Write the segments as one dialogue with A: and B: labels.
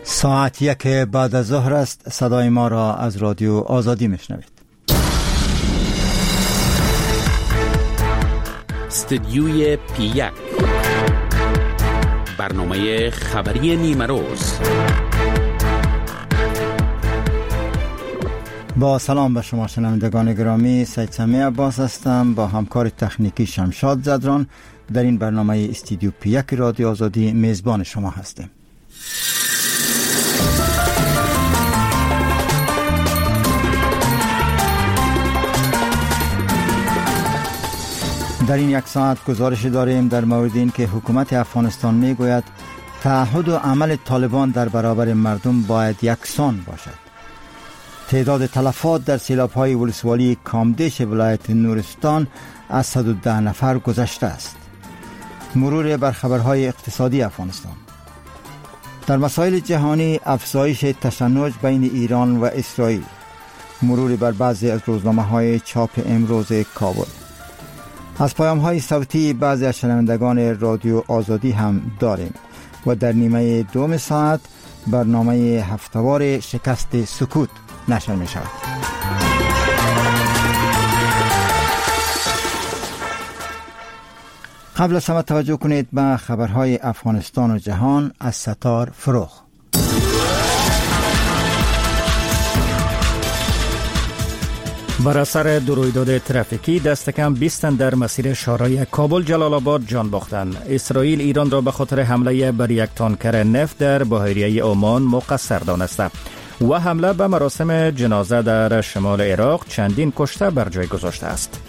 A: ساعت 1 بعد از ظهر است. صدای ما را از رادیو آزادی میشنوید.
B: استودیوی پی 1، برنامه خبری نیمه روز.
A: با سلام به شما شنوندگان گرامی، سید سمیع عباس هستم با همکار تکنیکی شمشاد زدران. در این برنامه استودیو پی 1 رادیو آزادی میزبان شما هستیم. در این یک ساعت گزارش داریم در مورد این که حکومت افغانستان میگوید تعهد و عمل طالبان در برابر مردم باید یکسان باشد. تعداد تلفات در سیلاب‌های ولسوالی کامدیش ولایت نورستان از 110 نفر گذشته است. مرور بر خبرهای اقتصادی افغانستان. در مسائل جهانی افزایش تشنج بین ایران و اسرائیل. مرور بر بعضی از روزنامه‌های چاپ امروز کابل. از پیام‌های صوتی بعضی از شنوندگان رادیو آزادی هم داریم و در نیمه دوم ساعت برنامه هفتوار شکست سکوت نشر می شود. قبل از همه توجه کنید به خبرهای افغانستان و جهان از ستار فروغ.
C: بر اثر دو رویداد ترافیکی دست کم 20 تن در مسیر شاهراه کابل جلال آباد جان باختند. اسرائیل ایران را به خاطر حمله بر یک تانکر نفت در بحیره عمان مقصر دانسته و حمله به مراسم جنازه در شمال عراق چندین کشته بر جای گذاشته است.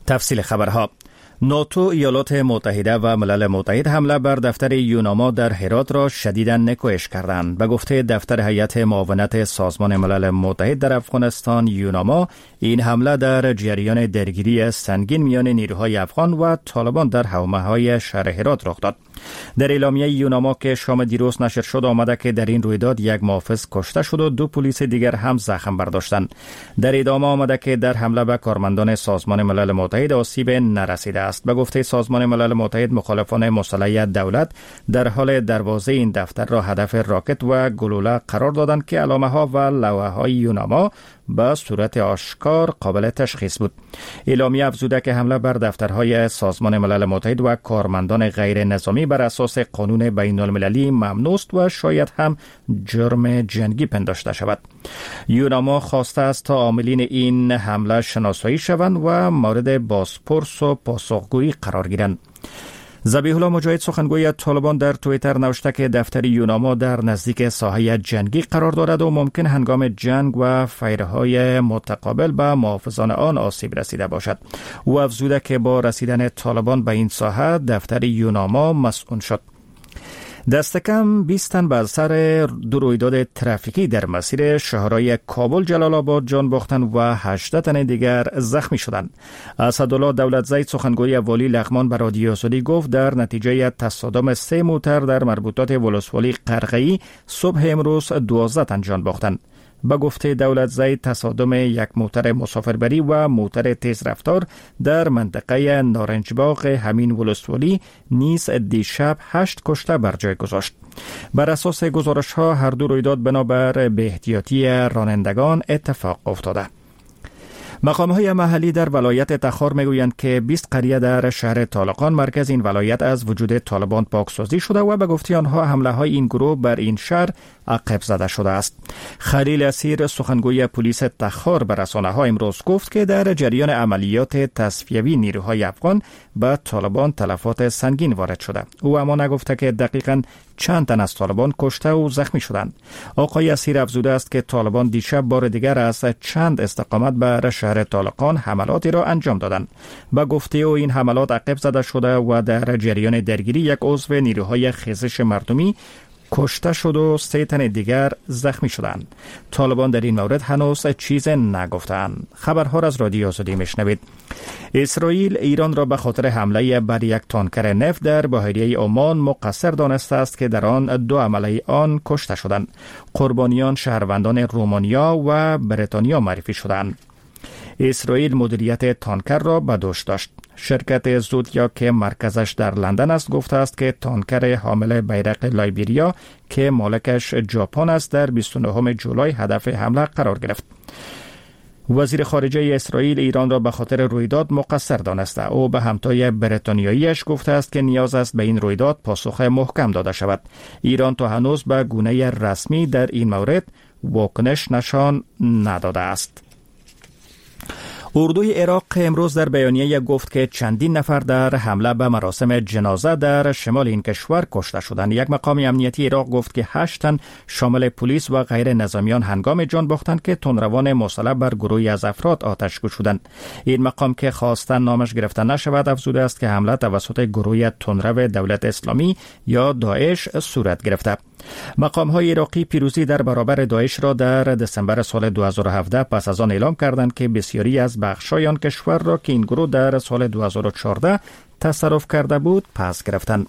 C: تفصیل خبرها. ناتو، ایالات متحده و ملل متحد حمله بر دفتر یوناما در هرات را شدیداً نکوهش کردند. به گفته دفتر هیئت معاونت سازمان ملل متحد در افغانستان یوناما، این حمله در جریان درگیری سنگین میان نیروهای افغان و طالبان در حومه‌های شهر هرات رخ داد. در اعلامیه یوناما که شام دیروز نشر شد آمده که در این رویداد یک محافظ کشته شد و 2 پلیس دیگر هم زخم برداشتند. در ادامه آمده که در حمله به کارمندان سازمان ملل متحد آسیب نرسیده است. به گفته سازمان ملل متحد، مخالفان مسلح دولت در حال دروازه این دفتر را هدف راکت و گلوله قرار دادند که علامه ها و لوحه های یوناما به صورت آشکار قابل تشخیص بود. اعلامیه افزوده که حمله بر دفترهای سازمان ملل متحد و کارمندان غیر نظامی بر اساس قانون بین المللی ممنوع است و شاید هم جرم جنگی پنداشته شود. یوناما خواسته است تا عاملین این حمله شناسایی شوند و مورد بازپرس و پاسخگویی قرار گیرند. ذبیح الله مجاهد سخنگوی طالبان در توییتر نوشته که دفتر یوناما در نزدیک ساحه جنگی قرار دارد و ممکن هنگام جنگ و فیرهای متقابل به محافظان آن آسیب رسیده باشد. او افزوده که با رسیدن طالبان به این ساحه دفتر یوناما مسئول شد. دست کم 20 تن بر سر دو رویداد ترافیکی در مسیر شهرهای کابل جلال آباد جان باختند و 18 تن دیگر زخمی شدند. اسدالله دولتزی سخنگوی والی لغمان به رادیو آزادی گفت در نتیجه تصادم 3 موتر در مربوطات ولسوالی قرقه‌ای صبح امروز 12 تن جان باختند. به گفته دولتزی تصادم یک موتر مسافربری و موتر تیز رفتار در منطقه نارنجباغ همین ولسوالی نیز دیشب 8 کشته بر جای گذاشت. بر اساس گزارش ها هر دو رویداد بنابر به احتیاطی رانندگان اتفاق افتاده. مقام‌های محلی در ولایت تخار میگویند که 20 قریه در شهر طالقان مرکز این ولایت از وجود طالبان پاکسازی شده و به گفته آنها حمله های این گروه بر این شهر عقب زده شده است. خلیل اسیر سخنگوی پلیس تخار به رسانه‌ها امروز گفت که در جریان عملیات تصفیوی نیروهای افغان به طالبان تلفات سنگین وارد شده. او اما نگفته که دقیقاً چند تن از طالبان کشته و زخمی شدند. آقای اسیر افزوده است که طالبان دیشب بار دیگر از چند استقامت بر شهر طالقان حملاتی را انجام دادند. به گفته او این حملات عقب زده شده و در جریان درگیری یک عضو نیروهای خیزش مردمی کشته شد و 3 تن دیگر زخمی شدند. طالبان در این مورد هنوز چیز نگفتند. خبرها را از رادیو آزادی میشنوید. اسرائیل ایران را به خاطر حمله بر یک تانکر نفت در بحیره عمان مقصر دانسته است که در آن 2 عمله آن کشته شدند. قربانیان شهروندان رومانیا و بریتانیا معرفی شدند. اسرائیل مدیریت تانکر را به دوش داشت. شرکت زودیا که مرکزش در لندن است گفته است که تانکر حامل بیرق لایبریا که مالکش ژاپن است در 29 جولای هدف حمله قرار گرفت. وزیر خارجه اسرائیل ایران را به خاطر رویداد مقصر دانسته. او به همتای بریتانیاییش گفته است که نیاز است به این رویداد پاسخ محکم داده شود. ایران تا هنوز به گونه رسمی در این مورد واکنش نشان نداده است. اردوی عراق امروز در بیانیه گفت که چندین نفر در حمله به مراسم جنازه در شمال این کشور کشته شدند. یک مقام امنیتی عراق گفت که 8 تن شامل پلیس و غیر نظامیان هنگام جان باختند که تندروان مسلح بر گروهی از افراد آتش گشودند. این مقام که خواستن نامش گرفته نشود افزوده است که حمله توسط گروه تندرو دولت اسلامی یا داعش صورت گرفته. مقام های عراقی پیروزی در برابر داعش را در دسامبر سال 2017 پس از آن اعلام کردند که بسیاری از بخش‌های آن کشور را که این گروه در سال 2014 تصرف کرده بود پس گرفتند.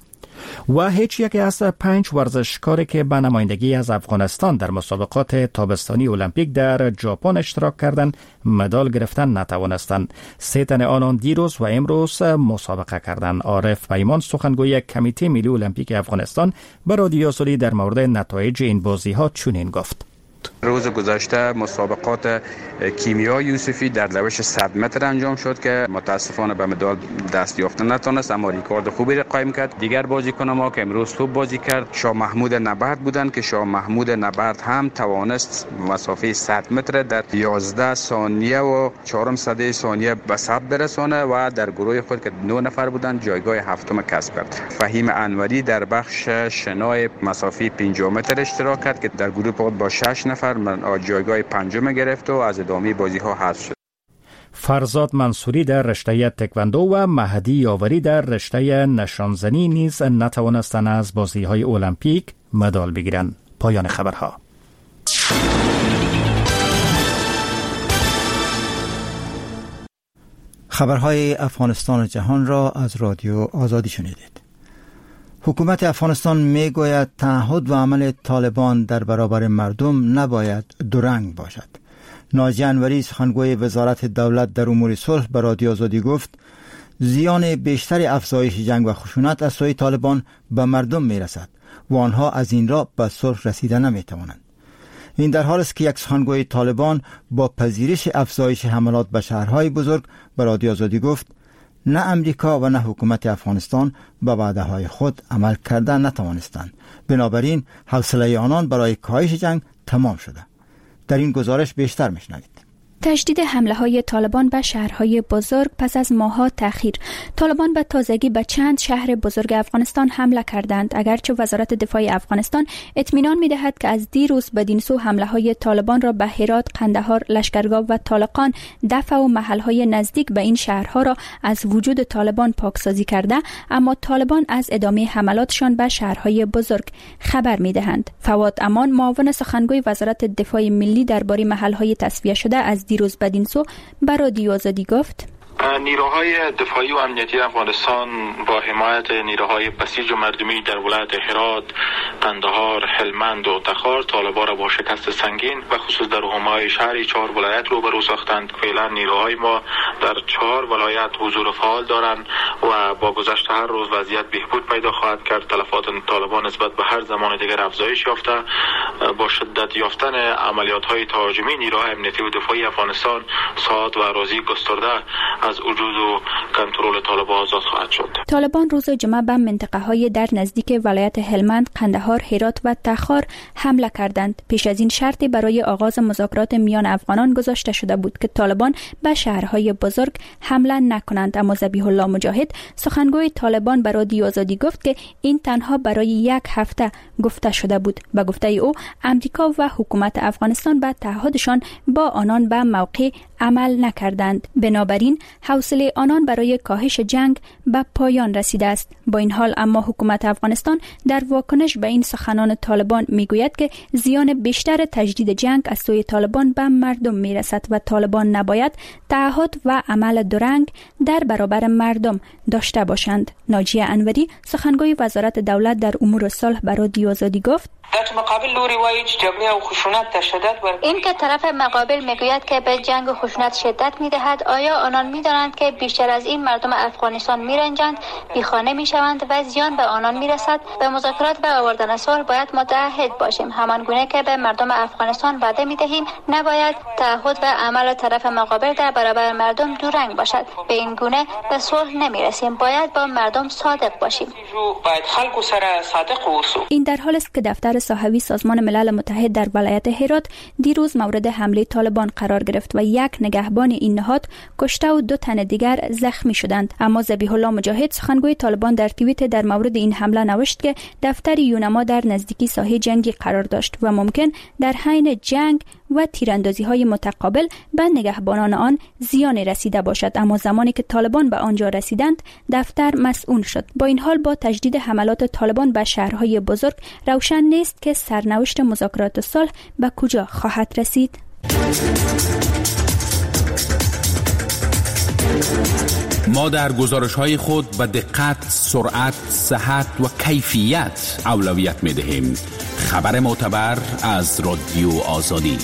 C: و هیچ یک از 5 ورزشکاری که به نمایندگی از افغانستان در مسابقات تابستانی المپیک در ژاپن اشتراک کردند مدال گرفتن نتوانستند. 3 تن آنان دیروز و امروز مسابقه کردند. عارف پیمان سخنگوی کمیته ملی المپیک افغانستان به رادیو آزادی در مورد نتایج این بازی‌ها چنین گفت:
D: روز گذشته مسابقات کیمیا یوسفی در روش 100 متر انجام شد که متاسفانه به مدال دست یافتن نتونست، اما ریکارد خوبی را قایم کرد. دیگر بازیکن ما که امروز خوب بازی کرد شاه محمود نبرد بودند که شاه محمود نبرد هم توانست مسافه 100 متر در 11 ثانیه و 0.04 ثانیه به ثبت برسانه و در گروه خود که 9 نفر بودند جایگاه هفتم کسب کرد. فهیم انوری در بخش شنای مسافه 50 متر اشتراک کرد که در گروه خود با 6 نفر جایگاه پنجم گرفت و از ادامه بازی ها حذف شد.
C: فرزاد منصوری در رشته تکواندو و مهدی یاوری در رشته نشانزنی نیز نتوانستند از بازی های المپیک مدال بگیرند. پایان خبرها.
A: خبرهای افغانستان و جهان را از رادیو آزادی شنیدید. حکومت افغانستان میگوید تعهد و عمل طالبان در برابر مردم نباید دورنگ باشد. ناجی انوری سخنگوی وزارت دولت در امور صلح به رادیو آزادی گفت زیان بیشتر افزایش جنگ و خشونت از سوی طالبان به مردم میرسد و آنها از این را به صلح رسیده نمیتوانند. این در حال است که یک سخنگوی طالبان با پذیرش افزایش حملات به شهرهای بزرگ به رادیو آزادی گفت نه امریکا و نه حکومت افغانستان به وعده‌های خود عمل کرده نتوانستند. بنابراین حوصله آنان برای کاهش جنگ تمام شده. در این گزارش بیشتر میشنوید.
E: تشدید حمله های طالبان به شهرهای بزرگ پس از ماه‌ها تأخیر. طالبان به تازگی به چند شهر بزرگ افغانستان حمله کردند، اگرچه وزارت دفاع افغانستان اطمینان می‌دهد که از دیروز بدین سو حمله های طالبان را به هرات، قندهار، لشکرگاه و طالقان دفع و محل‌های نزدیک به این شهرها را از وجود طالبان پاکسازی کرده، اما طالبان از ادامه حملاتشان به شهرهای بزرگ خبر می‌دهند. فواد امان، معاون سخنگوی وزارت دفاع ملی، درباره محل‌های تصفیه شده از دیروز بدین سو به رادیو آزادی گفت:
F: نیروهای دفاعی و امنیتی افغانستان با حمایت نیروهای بسیج و مردمی در ولایت هرات، قندهار، هلمند و تخار طالبان را با شکست سنگین و خصوص در حومه‌های شهری 4 ولایت روبرو ساختند. فعلا نیروهای ما در 4 ولایت حضور فعال دارند و با گذشت هر روز وضعیت بهبود پیدا خواهد کرد. تلفات طالبان نسبت به هر زمان دیگر افزایش یافته. با شدت یافتن عملیات‌های تهاجمی نیروهای امنیتی و دفاعی افغانستان ساعت و اراضی گسترده از وجود و کنترل طالبان آزاد خواهد شد.
E: طالبان روز جمعه به منطقه‌های در نزدیک ولایت هلمند، قندهار، هرات و تخار حمله کردند. پیش از این شرطی برای آغاز مذاکرات میان افغانان گذاشته شده بود که طالبان به شهرهای بزرگ حمله نکنند، اما ذبیح الله مجاهد سخنگوی طالبان به رادیو آزادی گفت که این تنها برای یک هفته گفته شده بود. به گفته او امریکا و حکومت افغانستان به تعهدشان با آنان به موقع عمل نکردند، بنابراین حوصله آنان برای کاهش جنگ به پایان رسیده است. با این حال اما حکومت افغانستان در واکنش به این سخنان طالبان میگوید که زیان بیشتر تجدید جنگ از سوی طالبان به مردم میرسد و طالبان نباید تعهد و عمل درنگ در برابر مردم داشته باشند. ناجیه انوری، سخنگوی وزارت دولت در امور صلح، به رادیو آزادی گفت:
G: این که طرف مقابل میگوید که به جنگ و خشونت شدت میدهد، آیا آنان میدانند که بیشتر از این مردم افغانستان میرنجند، بیخانه میشوند و زیان به آنان میرسد؟ به مذاکرات و آوردن صلح باید متعهد باشیم. همان گونه که به مردم افغانستان وعده میدهیم، نباید تعهد و عمل طرف مقابل در برابر مردم دورنگ باشد. به این گونه به صلح نمیرسیم. باید با مردم صادق باشیم.
E: این در حال است که دفتر ساحوی سازمان ملل متحد در ولایت هرات دیروز مورد حمله طالبان قرار گرفت و یک نگهبان این نهاد کشته و 2 تن دیگر زخمی شدند. اما ذبیح الله مجاهد، سخنگوی طالبان، در توییت در مورد این حمله نوشت که دفتر یونما در نزدیکی ساحه جنگی قرار داشت و ممکن در حین جنگ و تیراندازی‌های متقابل به نگهبانان آن زیان رسیده باشد. اما زمانی که طالبان به آنجا رسیدند، دفتر مسئول شد. با این حال با تجدید حملات طالبان به شهرهای بزرگ روشن نیست که سرنوشت مذاکرات صلح به کجا خواهد رسید.
B: ما در گزارش‌های خود به دقت، سرعت، صحت و کیفیت اولویت می‌دهیم. خبر معتبر از رادیو آزادی.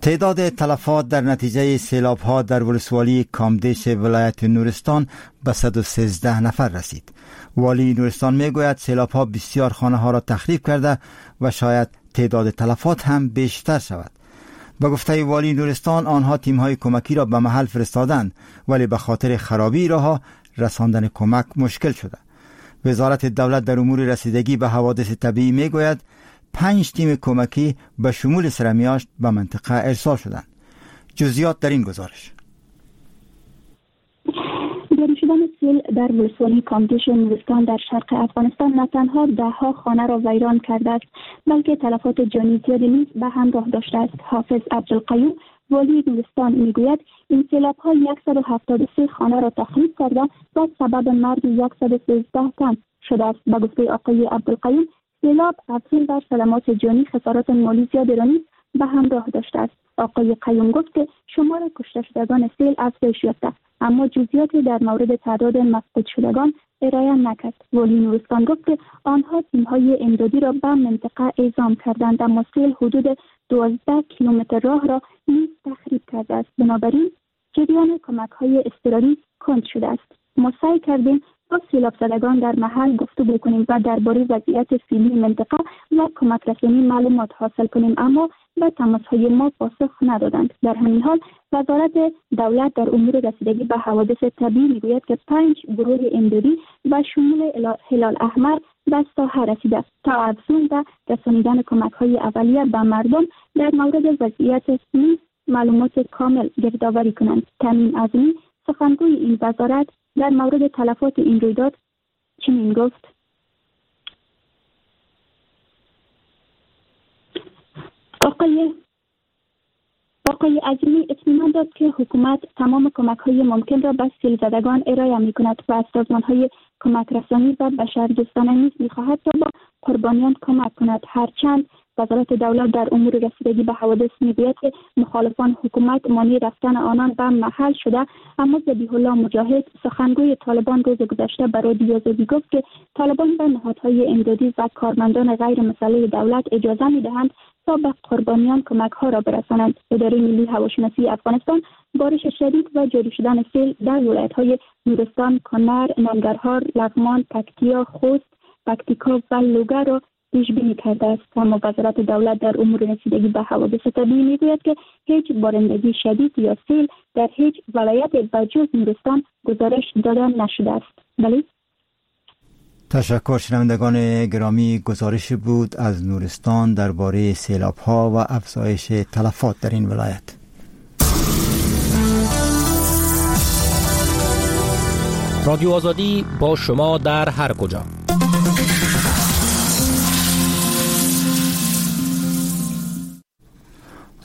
A: تعداد تلفات در نتیجه سیلاب‌ها در ولسوالی کامدیش ولایت نورستان به 113 نفر رسید. والی نورستان میگوید سیلاب‌ها بسیار خانه‌ها را تخریب کرده و شاید تعداد تلفات هم بیشتر شود. به گفته والی نورستان آنها تیم‌های کمکی را به محل فرستادند، ولی به خاطر خرابی راه‌ها رساندن کمک مشکل شده. وزارت دولت در امور رسیدگی به حوادث طبیعی میگوید 5 تیم کمکی به شمول سرمیاشت به منطقه ارسال شدند. جزئیات در این گزارش.
H: جاری شدن سیل در ولسوالی کامدیش نورستان در شرق افغانستان نه تنها ده‌ها خانه را ویران کرده است، بلکه تلفات جانی زیادی نیز به همراه داشته است. حافظ عبدالقیوم، والی نورستان، میگوید این سیلاب‌ها 173 خانه را تخریب کرده و سبب مرگ 113 تن شده است. به گفته آقای عبدالقیوم، سیلاب افزون بر صدمات جانی خسارات مالی زیادی را نیز به همراه داشته است. آقای قیوم گفت که شمار کشته شدگان سیل افزایش یافته، اما جزئیاتی در مورد تعداد مفقود شدگان ارائه نکرد. والی نورستان گفت که آنها تیم‌های امدادی را به منطقه اعزام کردند، اما سیل حدود 12 کیلومتر راه را نیز تخریب کرده است. بنابراین جریان کمک‌های اضطراری کند شده است. ما سعی کردیم با سیلاب زدگان در محل گفتگو کنیم و درباره وضعیت فعلی منطقه و کمک رسانی معلومات حاصل کنیم، اما به تماس‌های ما پاسخ ندادند. در همین حال وزارت دولت در امور رسیدگی به حوادث طبیعی میگوید که 5 گروه امدادی و شمول هلال احمر به ساحه رسیده است تا افزون به رسانیدن کمک‌های اولیه به مردم در مورد وضعیت نیز معلومات کامل گردآوری کنند. تامین عظیمی، سخنگوی این وزارت، در مورد تلفات این رویداد چنین گفت: آقای عظیمی اطمینان داد که حکومت تمام کمک‌های ممکن را به سیل زدگان ارائه می‌کند و از سازمان‌های کمک رسانی و بشردوستانه نیز می‌خواهد تا با قربانیان کمک کند. هرچند وزارت دولت در امور رسیدگی به حوادث میگوید که مخالفان حکومت مانع رفتن آنان به محل شده، اما ذبیح الله مجاهد، سخنگوی طالبان، روز گذشته به رادیو آزادی گفت که طالبان به نهادهای امدادی و کارمندان غیر مسلح دولت اجازه میدهند تا به قربانیان کمک ها را برسانند. اداره ملی هواشناسی افغانستان بارش شدید و جاری شدن سیل در ولایت های نورستان، کنر، ننگرهار، لغمان، پکتیا، خوست، پکتیکا و لوگر را پیش بینی کرده است. اما وزارت دولت در امور رسیدگی به حوادث طبیعی میگوید که هیچ بارندگی شدید یا سیل در هیچ ولایت به جز نورستان گزارش داده نشده است. بله.
A: تشکر شنوندگان گرامی، گزارش بود از نورستان درباره سیلاب‌ها و افزایش تلفات در این ولایت.
C: رادیو آزادی با شما در هر کجا.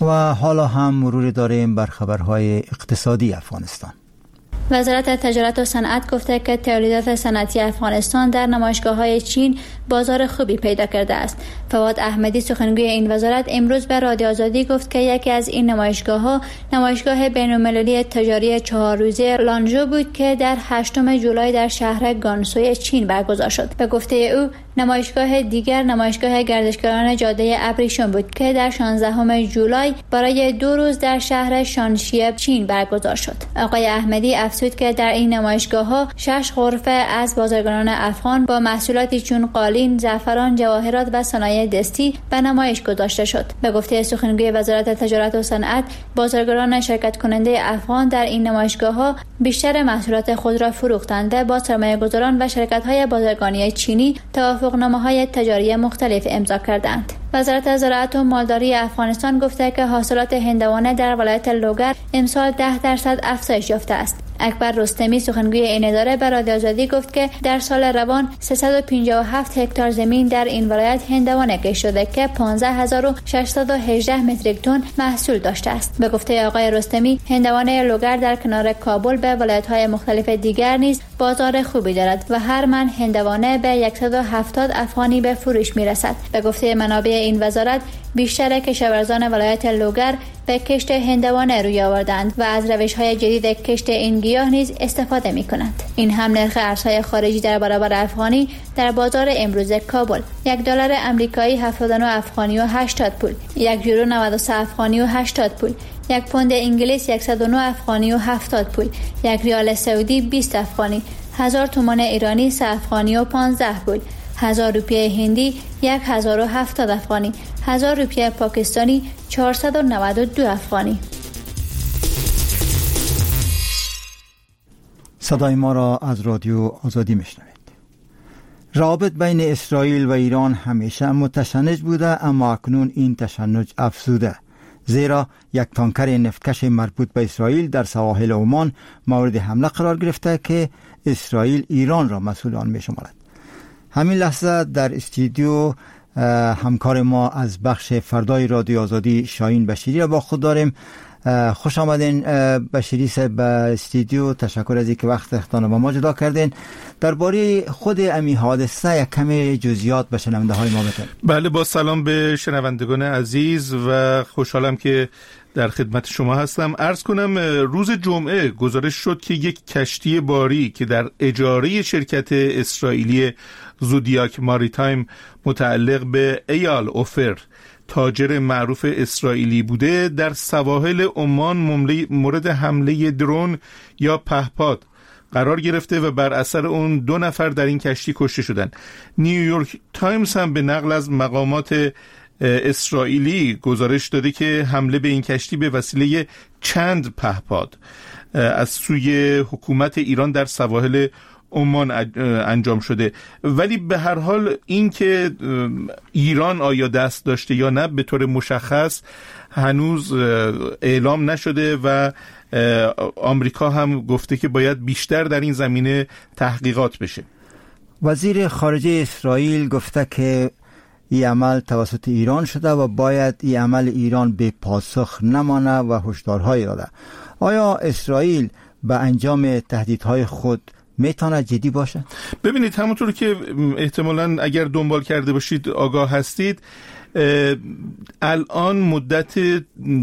A: و حالا هم مرور داریم بر خبرهای اقتصادی افغانستان.
G: وزارت تجارت و صنعت گفته که تولیدات صنعتی افغانستان در نمایشگاه‌های چین بازار خوبی پیدا کرده است. فواد احمدی سخنگوی این وزارت امروز به رادیو آزادی گفت که یکی از این نمایشگاه‌ها نمایشگاه بین‌المللی تجاری 4 روزه لانژو بود که در 8 جولای در شهر گانسوی چین برگزار شد. به گفته او نمایشگاه دیگر نمایشگاه گردشگران جاده ابریشم بود که در 16 جولای برای 2 روز در شهر شانشی چین برگزار شد. آقای احمدی افزود که در این نمایشگاه‌ها 6 غرفه از بازرگانان افغان با محصولاتی چون قالین، زعفران، جواهرات و صنایع دستی به نمایش گذاشته شد. به گفته سخنگوی وزارت تجارت و صنعت، بازرگانان شرکت کننده افغان در این نمایشگاه‌ها بیشتر محصولات خود را فروختند و با سرمایه‌گذاران و شرکت‌های بازرگانی چینی توافقنامه‌های تجاری مختلف امضا کردند. وزارت زراعت و مالداری افغانستان گفته که حاصلات هندوانه در ولایت لوگر امسال 10% افزایش یافته است. اکبر رستمی سخنگوی این اداره به رادیو آزادی گفت که در سال روان 357 هکتار زمین در این ولایت هندوانه کشت شده که 15618 متریک تن محصول داشته است. به گفته آقای رستمی، هندوانه لوگر در کنار کابل به ولایت‌های مختلف دیگر نیز بازار خوبی دارد و هر من هندوانه به 170 افغانی به فروش می‌رسد. به گفته منابع این وزارت، بیشتر کشاورزان ولایت لوگر به کشت هندوانه روی آوردند و از روش‌های جدید کشت این گیاه نیز استفاده می‌کنند. این هم نرخ ارزهای خارجی در برابر افغانی در بازار امروز کابل: $1 آمریکایی 79 افغانی و 80 پول، €1 93 افغانی و 80 پول، £1 انگلیس 109 افغانی و 70 پول، £1 سعودی 20 افغانی، 1000 تومان ایرانی 3 افغانی و 15 پول، 1000 روپیه هندی 1070 افغانی، 1000 روپیه پاکستانی 492 افغانی.
A: صدای ما را از رادیو آزادی میشنوید. روابط بین اسرائیل و ایران همیشه متشنج بوده، اما اکنون این تشنج افزوده، زیرا یک تانکر نفتکش مربوط به اسرائیل در سواحل عمان مورد حمله قرار گرفته که اسرائیل ایران را مسئول آن میشمارد. همین لحظه در استودیو همکار ما از بخش فردای رادیو آزادی شاهین بشیری را با خود داریم. خوش آمدین بشیری صاحب به استودیو. تشکر از اینکه وقت اختان با ما جدا کردین. درباره خود امی حادثه یک کمی جزئیات به شنونده های ما بدین.
I: بله، با سلام به شنوندگان عزیز و خوشحالم که در خدمت شما هستم. عرض کنم روز جمعه گزارش شد که یک کشتی باری که در اجاره شرکت اسرائیلی زودیاک ماریتایم متعلق به ایال اوفر، تاجر معروف اسرائیلی بوده، در سواحل عمان مورد حمله درون یا پهپاد قرار گرفته و بر اثر اون 2 نفر در این کشتی کشته شدند. نیویورک تایمز هم به نقل از مقامات اسرائیلی گزارش داده که حمله به این کشتی به وسیله چند پهپاد از سوی حکومت ایران در سواحل عمان انجام شده. ولی به هر حال این که ایران آیا دست داشته یا نه به طور مشخص هنوز اعلام نشده و آمریکا هم گفته که باید بیشتر در این زمینه تحقیقات بشه.
A: وزیر خارجه اسرائیل گفته که این عمل توسط ایران شده و باید این عمل ایران به پاسخ نمانه و هشدارهایی داده. آیا اسرائیل به انجام تهدیدهای خود میتونه جدی باشه؟
I: ببینید، همونطور که احتمالاً اگر دنبال کرده باشید آگاه هستید، الان مدت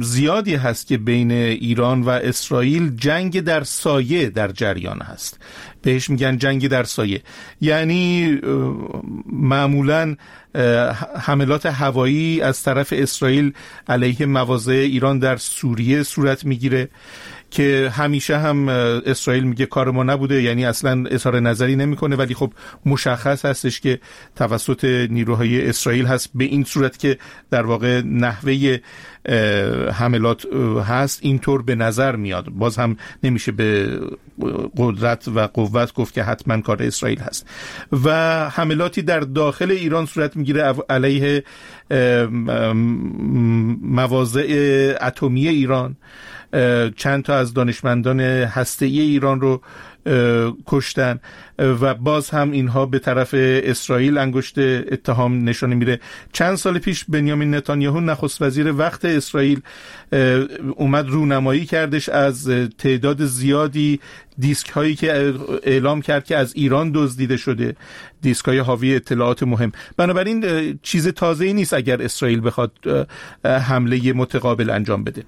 I: زیادی هست که بین ایران و اسرائیل جنگ در سایه در جریان هست. بهش میگن جنگ در سایه، یعنی معمولاً حملات هوایی از طرف اسرائیل علیه مواضع ایران در سوریه صورت میگیره که همیشه هم اسرائیل میگه کار ما نبوده، یعنی اصلا اظهار نظری نمیکنه، ولی خب مشخص هستش که توسط نیروهای اسرائیل هست، به این صورت که در واقع نحوه حملات هست اینطور به نظر میاد. باز هم نمیشه به قدرت و قوت گفت که حتما کار اسرائیل هست. و حملاتی در داخل ایران صورت میگیره علیه مواضع اتمی ایران، چند تا از دانشمندان هسته‌ای ایران رو کشتن و باز هم اینها به طرف اسرائیل انگشت اتهام نشانه میره. چند سال پیش بنیامین نتانیاهو نخست وزیر وقت اسرائیل اومد رونمایی کردش از تعداد زیادی دیسک هایی که اعلام کرد که از ایران دزدیده شده، دیسک های حاوی اطلاعات مهم. بنابراین چیز تازه‌ای نیست اگر اسرائیل بخواد حمله متقابل انجام بده.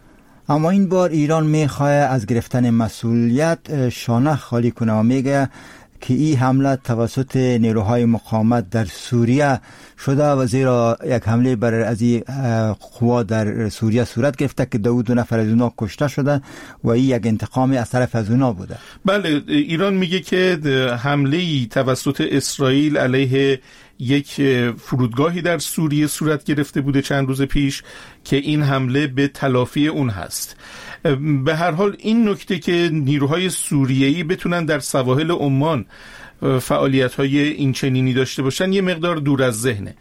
A: اما این بار ایران میخواه از گرفتن مسئولیت شانه خالی کنه و میگه که این حمله توسط نیروهای مقاومت در سوریه شده و زیرا یک حمله بر از این قوا در سوریه صورت گرفته که 2 نفر از اونا کشته شده و این یک انتقام از طرف از اونا بوده.
I: بله، ایران میگه که حمله توسط اسرائیل علیه یک فرودگاهی در سوریه صورت گرفته بوده چند روز پیش که این حمله به تلافی اون هست. به هر حال این نکته که نیروهای سوریه‌ای بتونن در سواحل عمان فعالیت‌های این چنینی داشته باشن یه مقدار دور از ذهنه.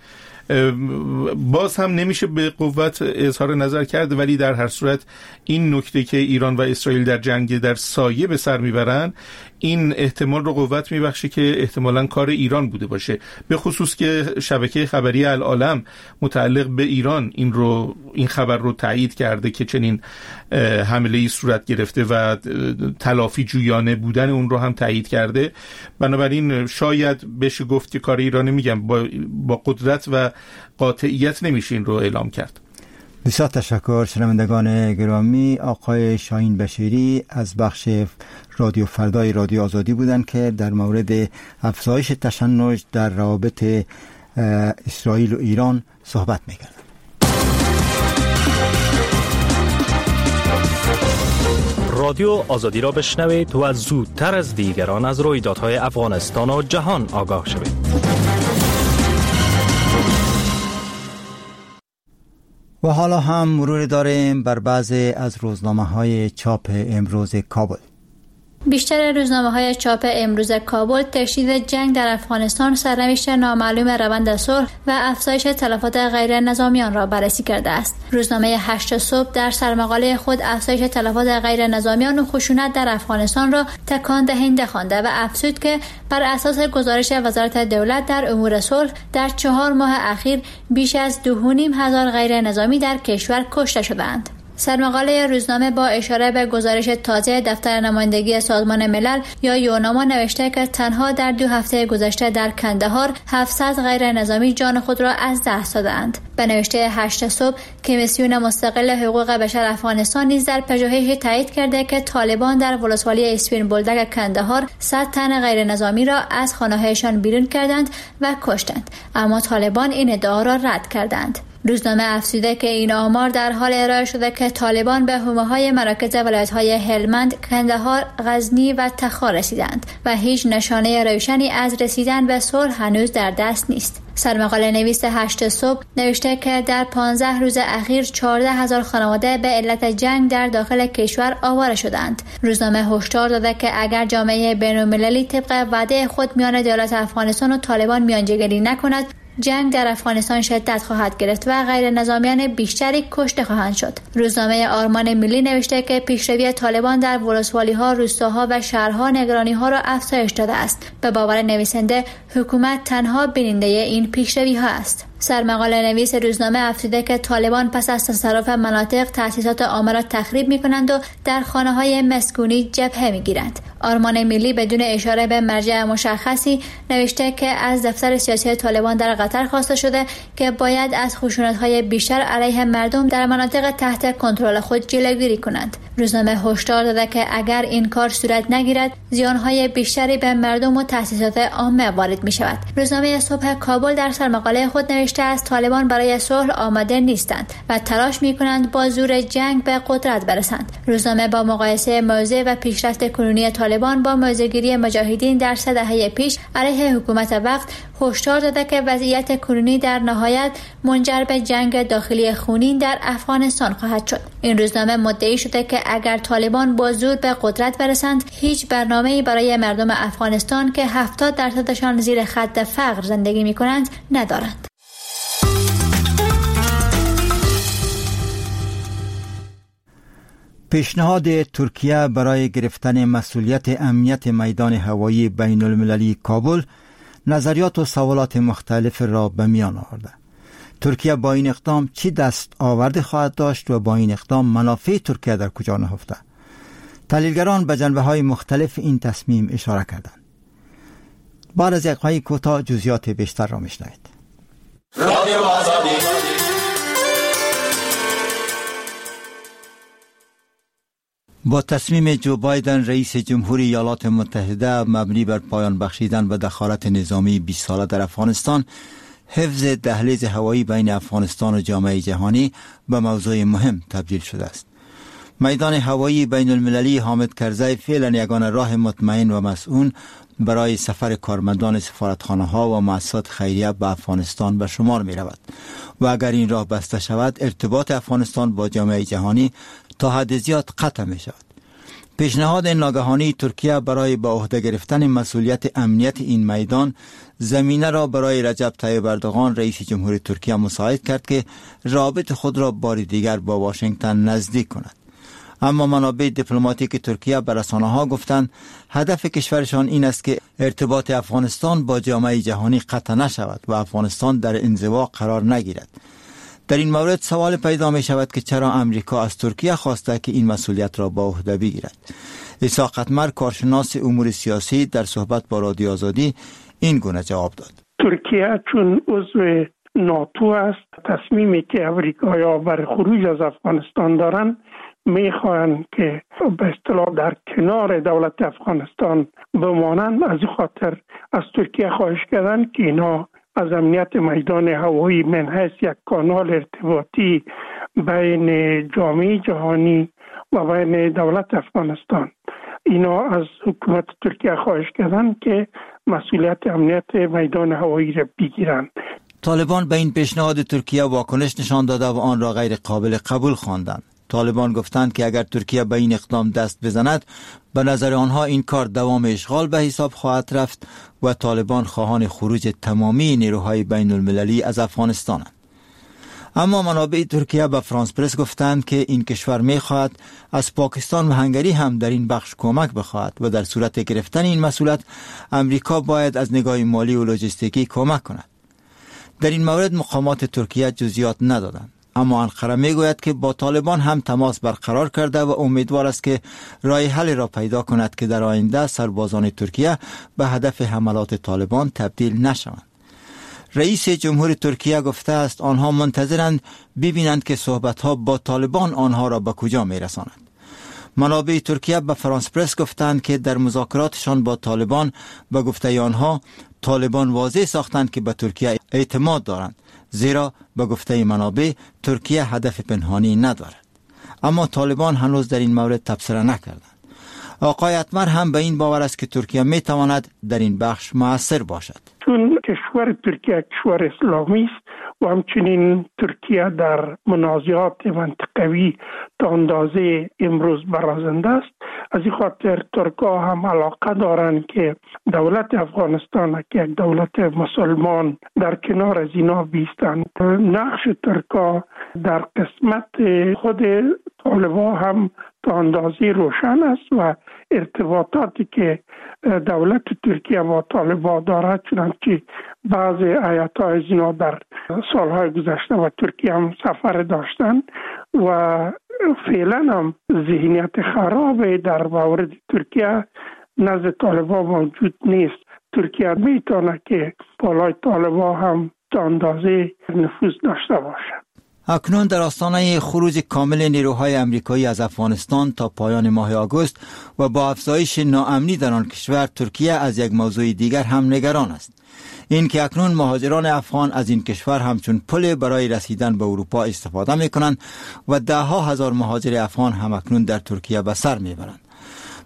I: باز هم نمیشه به قوت اظهار نظر کرد، ولی در هر صورت این نکته که ایران و اسرائیل در جنگ در سایه به سر میبرن این احتمال رو قوت میبخشه که احتمالاً کار ایران بوده باشه، به خصوص که شبکه خبری العالم متعلق به ایران این خبر رو تایید کرده که چنین حمله‌ای صورت گرفته و تلافی جویانه بودن اون رو هم تایید کرده. بنابراین شاید بشه گفت که کار ایران، میگم با قدرت و قاطعیت نمیشه این رو اعلام کرد.
A: بسیار تشکر شنوندگان گرامی. آقای شاهین بشیری از بخش رادیو فردای رادیو آزادی بودند که در مورد افزایش تشنج در روابط اسرائیل و ایران صحبت میکردند.
C: رادیو آزادی را بشنوید و زودتر از دیگران از رویدادهای افغانستان و جهان آگاه شوید.
A: و حالا هم مرور داریم بر بعضی از روزنامه‌های چاپ امروز کابل.
G: بیشتر روزنامه‌های چاپ امروز کابل تشدید جنگ در افغانستان، سرنوشت نامعلوم روند صلح و افزایش تلفات غیر نظامیان را بررسی کرده است. روزنامه 8 صبح در سرمقاله خود افزایش تلفات غیر نظامیان و خشونت در افغانستان را تکان دهنده خوانده و افزود که بر اساس گزارش وزارت دولت در امور صلح در 4 ماه اخیر بیش از 2,500 غیر نظامی در کشور کشته شدند. سرمقاله روزنامه با اشاره به گزارش تازه دفتر نمایندگی سازمان ملل یا یوناما نوشته که تنها در 2 هفته گذشته در کندهار 700 غیر نظامی جان خود را از دست دادند. به نوشته 8 صبح کمیسیون مستقل حقوق بشر افغانستان نیز در پژوهشی تایید کرده که طالبان در ولسوالی اسپین بولدک کندهار 100 تن غیر نظامی را از خانه‌هایشان بیرون کردند و کشتند، اما طالبان این ادعا را رد کردند. روزنامه افزوده که این آمار در حال ارائه شده که طالبان به حومه‌های مراکز ولایت‌های هلمند، کندهار، غزنی و تخار رسیدند و هیچ نشانه روشنی از رسیدن به صلح هنوز در دست نیست. سرمقاله نویس 8 صبح نوشته که در 15 روز اخیر 14,000 خانواده به علت جنگ در داخل کشور آواره شدند. روزنامه هشدار داده که اگر جامعه بین‌المللی طبق وعده خود میان دولت افغانستان و طالبان میانجیگری نکند، جنگ در افغانستان شدت خواهد گرفت و غیر نظامیان بیشتری کشته خواهند شد. روزنامه آرمان ملی نوشته که پیشروی طالبان در ولسوالی‌ها، روستاها و شهرها نگرانی‌ها را افزایش داده است. به باور نویسنده، حکومت تنها بیننده این پیشروی‌ها است. سرمقاله نویس روزنامه افزوده که طالبان پس از تصرف مناطق تأسیسات عامه را تخریب می‌کنند و در خانه‌های مسکونی جبهه می‌گیرند. آرمان ملی بدون اشاره به مرجع مشخصی نوشته که از دفتر سیاسی طالبان در قطر خواسته شده که باید از خشونت‌های بیشتر علیه مردم در مناطق تحت کنترل خود جلوگیری کنند. روزنامه هشدار داده که اگر این کار صورت نگیرد، زیان‌های بیشتری به مردم و تأسیسات عامه وارد می‌شود. روزنامه صبح کابل در سرمقاله خود نوشته از طالبان برای صلح آماده نیستند و تلاش می‌کنند با زور جنگ به قدرت برسند. روزنامه با مقایسه موضع و پیشرفت کنونی طالبان با موضع‌گیری مجاهدین در 3 دهه پیش علیه حکومت وقت هشدار داده که وضعیت کنونی در نهایت منجر به جنگ داخلی خونین در افغانستان خواهد شد. این روزنامه مدعی شده که اگر طالبان با زور به قدرت برسند، هیچ برنامه‌ای برای مردم افغانستان که 70% زیر خط فقر زندگی می‌کنند ندارند.
A: پیشنهاد ترکیه برای گرفتن مسئولیت امنیت میدان هوایی بین المللی کابل نظریات و سوالات مختلف را به میان آورده. ترکیه با این اقدام چی دست آورده خواهد داشت و با این اقدام منافع ترکیه در کجا نهفته؟ تحلیلگران به جنبه‌های مختلف این تصمیم اشاره کردند. بعد از یک وقفه کوتاه جزئیات بیشتر را میشنوید. رادیو آزادی. با تصمیم جو بایدن رئیس جمهوری ایالات متحده مبنی بر پایان بخشیدن به دخالت نظامی 20 ساله در افغانستان، حفظ دهلیز هوایی بین افغانستان و جامعه جهانی به موضوع مهم تبدیل شده است. میدان هوایی بین المللی حامد کرزی فعلا یگانه راه مطمئن و مسئول برای سفر کارمندان سفارتخانه ها و مؤسسات خیریه به افغانستان به شمار می رود و اگر این راه بسته شود، ارتباط افغانستان با جامعه جهانی تا حد زیاد قطع می شود. پیشنهاد ناگهانی ترکیه برای به عهده گرفتن مسئولیت امنیت این میدان زمینه را برای رجب طیب اردوغان رئیس جمهور ترکیه مساعد کرد که رابط خود را بار دیگر با واشنگتن نزدیک کند. اما منابع دیپلماتیک ترکیه به رسانه‌ها گفتند هدف کشورشان این است که ارتباط افغانستان با جامعه جهانی قطع نشود و افغانستان در انزوا قرار نگیرد. در این مورد سوال پیدا می شود که چرا امریکا از ترکیه خواسته که این مسئولیت را به عهده بگیرد. اسحاق اتمر، کارشناس امور سیاسی، در صحبت با رادیو آزادی این گونه جواب داد:
J: ترکیه چون عضو ناتو است، تصمیمی که امریکایی‌ها بر خروج از افغانستان دارند، میخواهند که به اصطلاح در کنار دولت افغانستان بمانند. از این خاطر از ترکیه خواهش کردند که اینا از امنیت میدان هوایی من حیث یک کانال ارتباطی بین جامعه جهانی و بین دولت افغانستان، اینا از حکومت ترکیه خواهش کردند که مسئولیت امنیت میدان هوایی را بگیرند.
A: طالبان به این پیشنهاد ترکیه واکنش نشان داده و آن را غیر قابل قبول خواندند. طالبان گفتند که اگر ترکیه به این اقدام دست بزند، به نظر آنها این کار دوام اشغال به حساب خواهد رفت و طالبان خواهان خروج تمامی نیروهای بین المللی از افغانستانند. اما منابع ترکیه به فرانس پرس گفتند که این کشور می‌خواهد از پاکستان و هنگری هم در این بخش کمک بخواهد و در صورت گرفتن این مسئولیت امریکا باید از نگاه مالی و لوجستیکی کمک کند. در این مورد مقامات ترکیه جزئیات ندادند. اما انقره میگوید که با طالبان هم تماس برقرار کرده و امیدوار است که راه حل را پیدا کند که در آینده سربازان ترکیه به هدف حملات طالبان تبدیل نشوند. رئیس جمهور ترکیه گفته است آنها منتظرند ببینند که صحبت‌ها با طالبان آنها را به کجا میرساند. منابع ترکیه به فرانس پرس گفتند که در مذاکراتشان با طالبان، به گفته آنها، طالبان واضح ساختند که به ترکیه اعتماد دارند، زیرا به گفته منابع ترکیه هدف پنهانی ندارد. اما طالبان هنوز در این مورد تبصره نکردند. آقای اتمر هم به این باور است که ترکیه می تواند در این بخش مؤثر باشد.
J: چون کشور ترکیه کشور اسلامی است و همچنین ترکیه در منازعات منطقوی تا اندازه امروز برازنده است، از این خاطر ترک‌ها هم علاقه دارند که دولت افغانستان که یک دولت مسلمان در کنار از اینا بیستند. نقش ترک‌ها در قسمت خود طالبان هم تا اندازه روشن است و ارتباطاتی که دولت ترکیه با طالبان دارد، چنانچه بعض هیئت‌های از اینا در سالهای گذشته و ترکیه هم سفر داشتند و فعلا هم ذهنیت خراب در مورد ترکیه نزد طالبان موجود نیست. ترکیه میتونه که بالای طالبان هم تا اندازه نفوذ داشته باشد.
A: اکنون در آستانه خروج کامل نیروهای امریکایی از افغانستان تا پایان ماه آگوست و با افزایش ناامنی در آن کشور، ترکیه از یک موضوع دیگر هم نگران است. این که اکنون مهاجران افغان از این کشور همچون پل برای رسیدن به اروپا استفاده می کنند و ده ها هزار مهاجر افغان هم اکنون در ترکیه به سر می برند.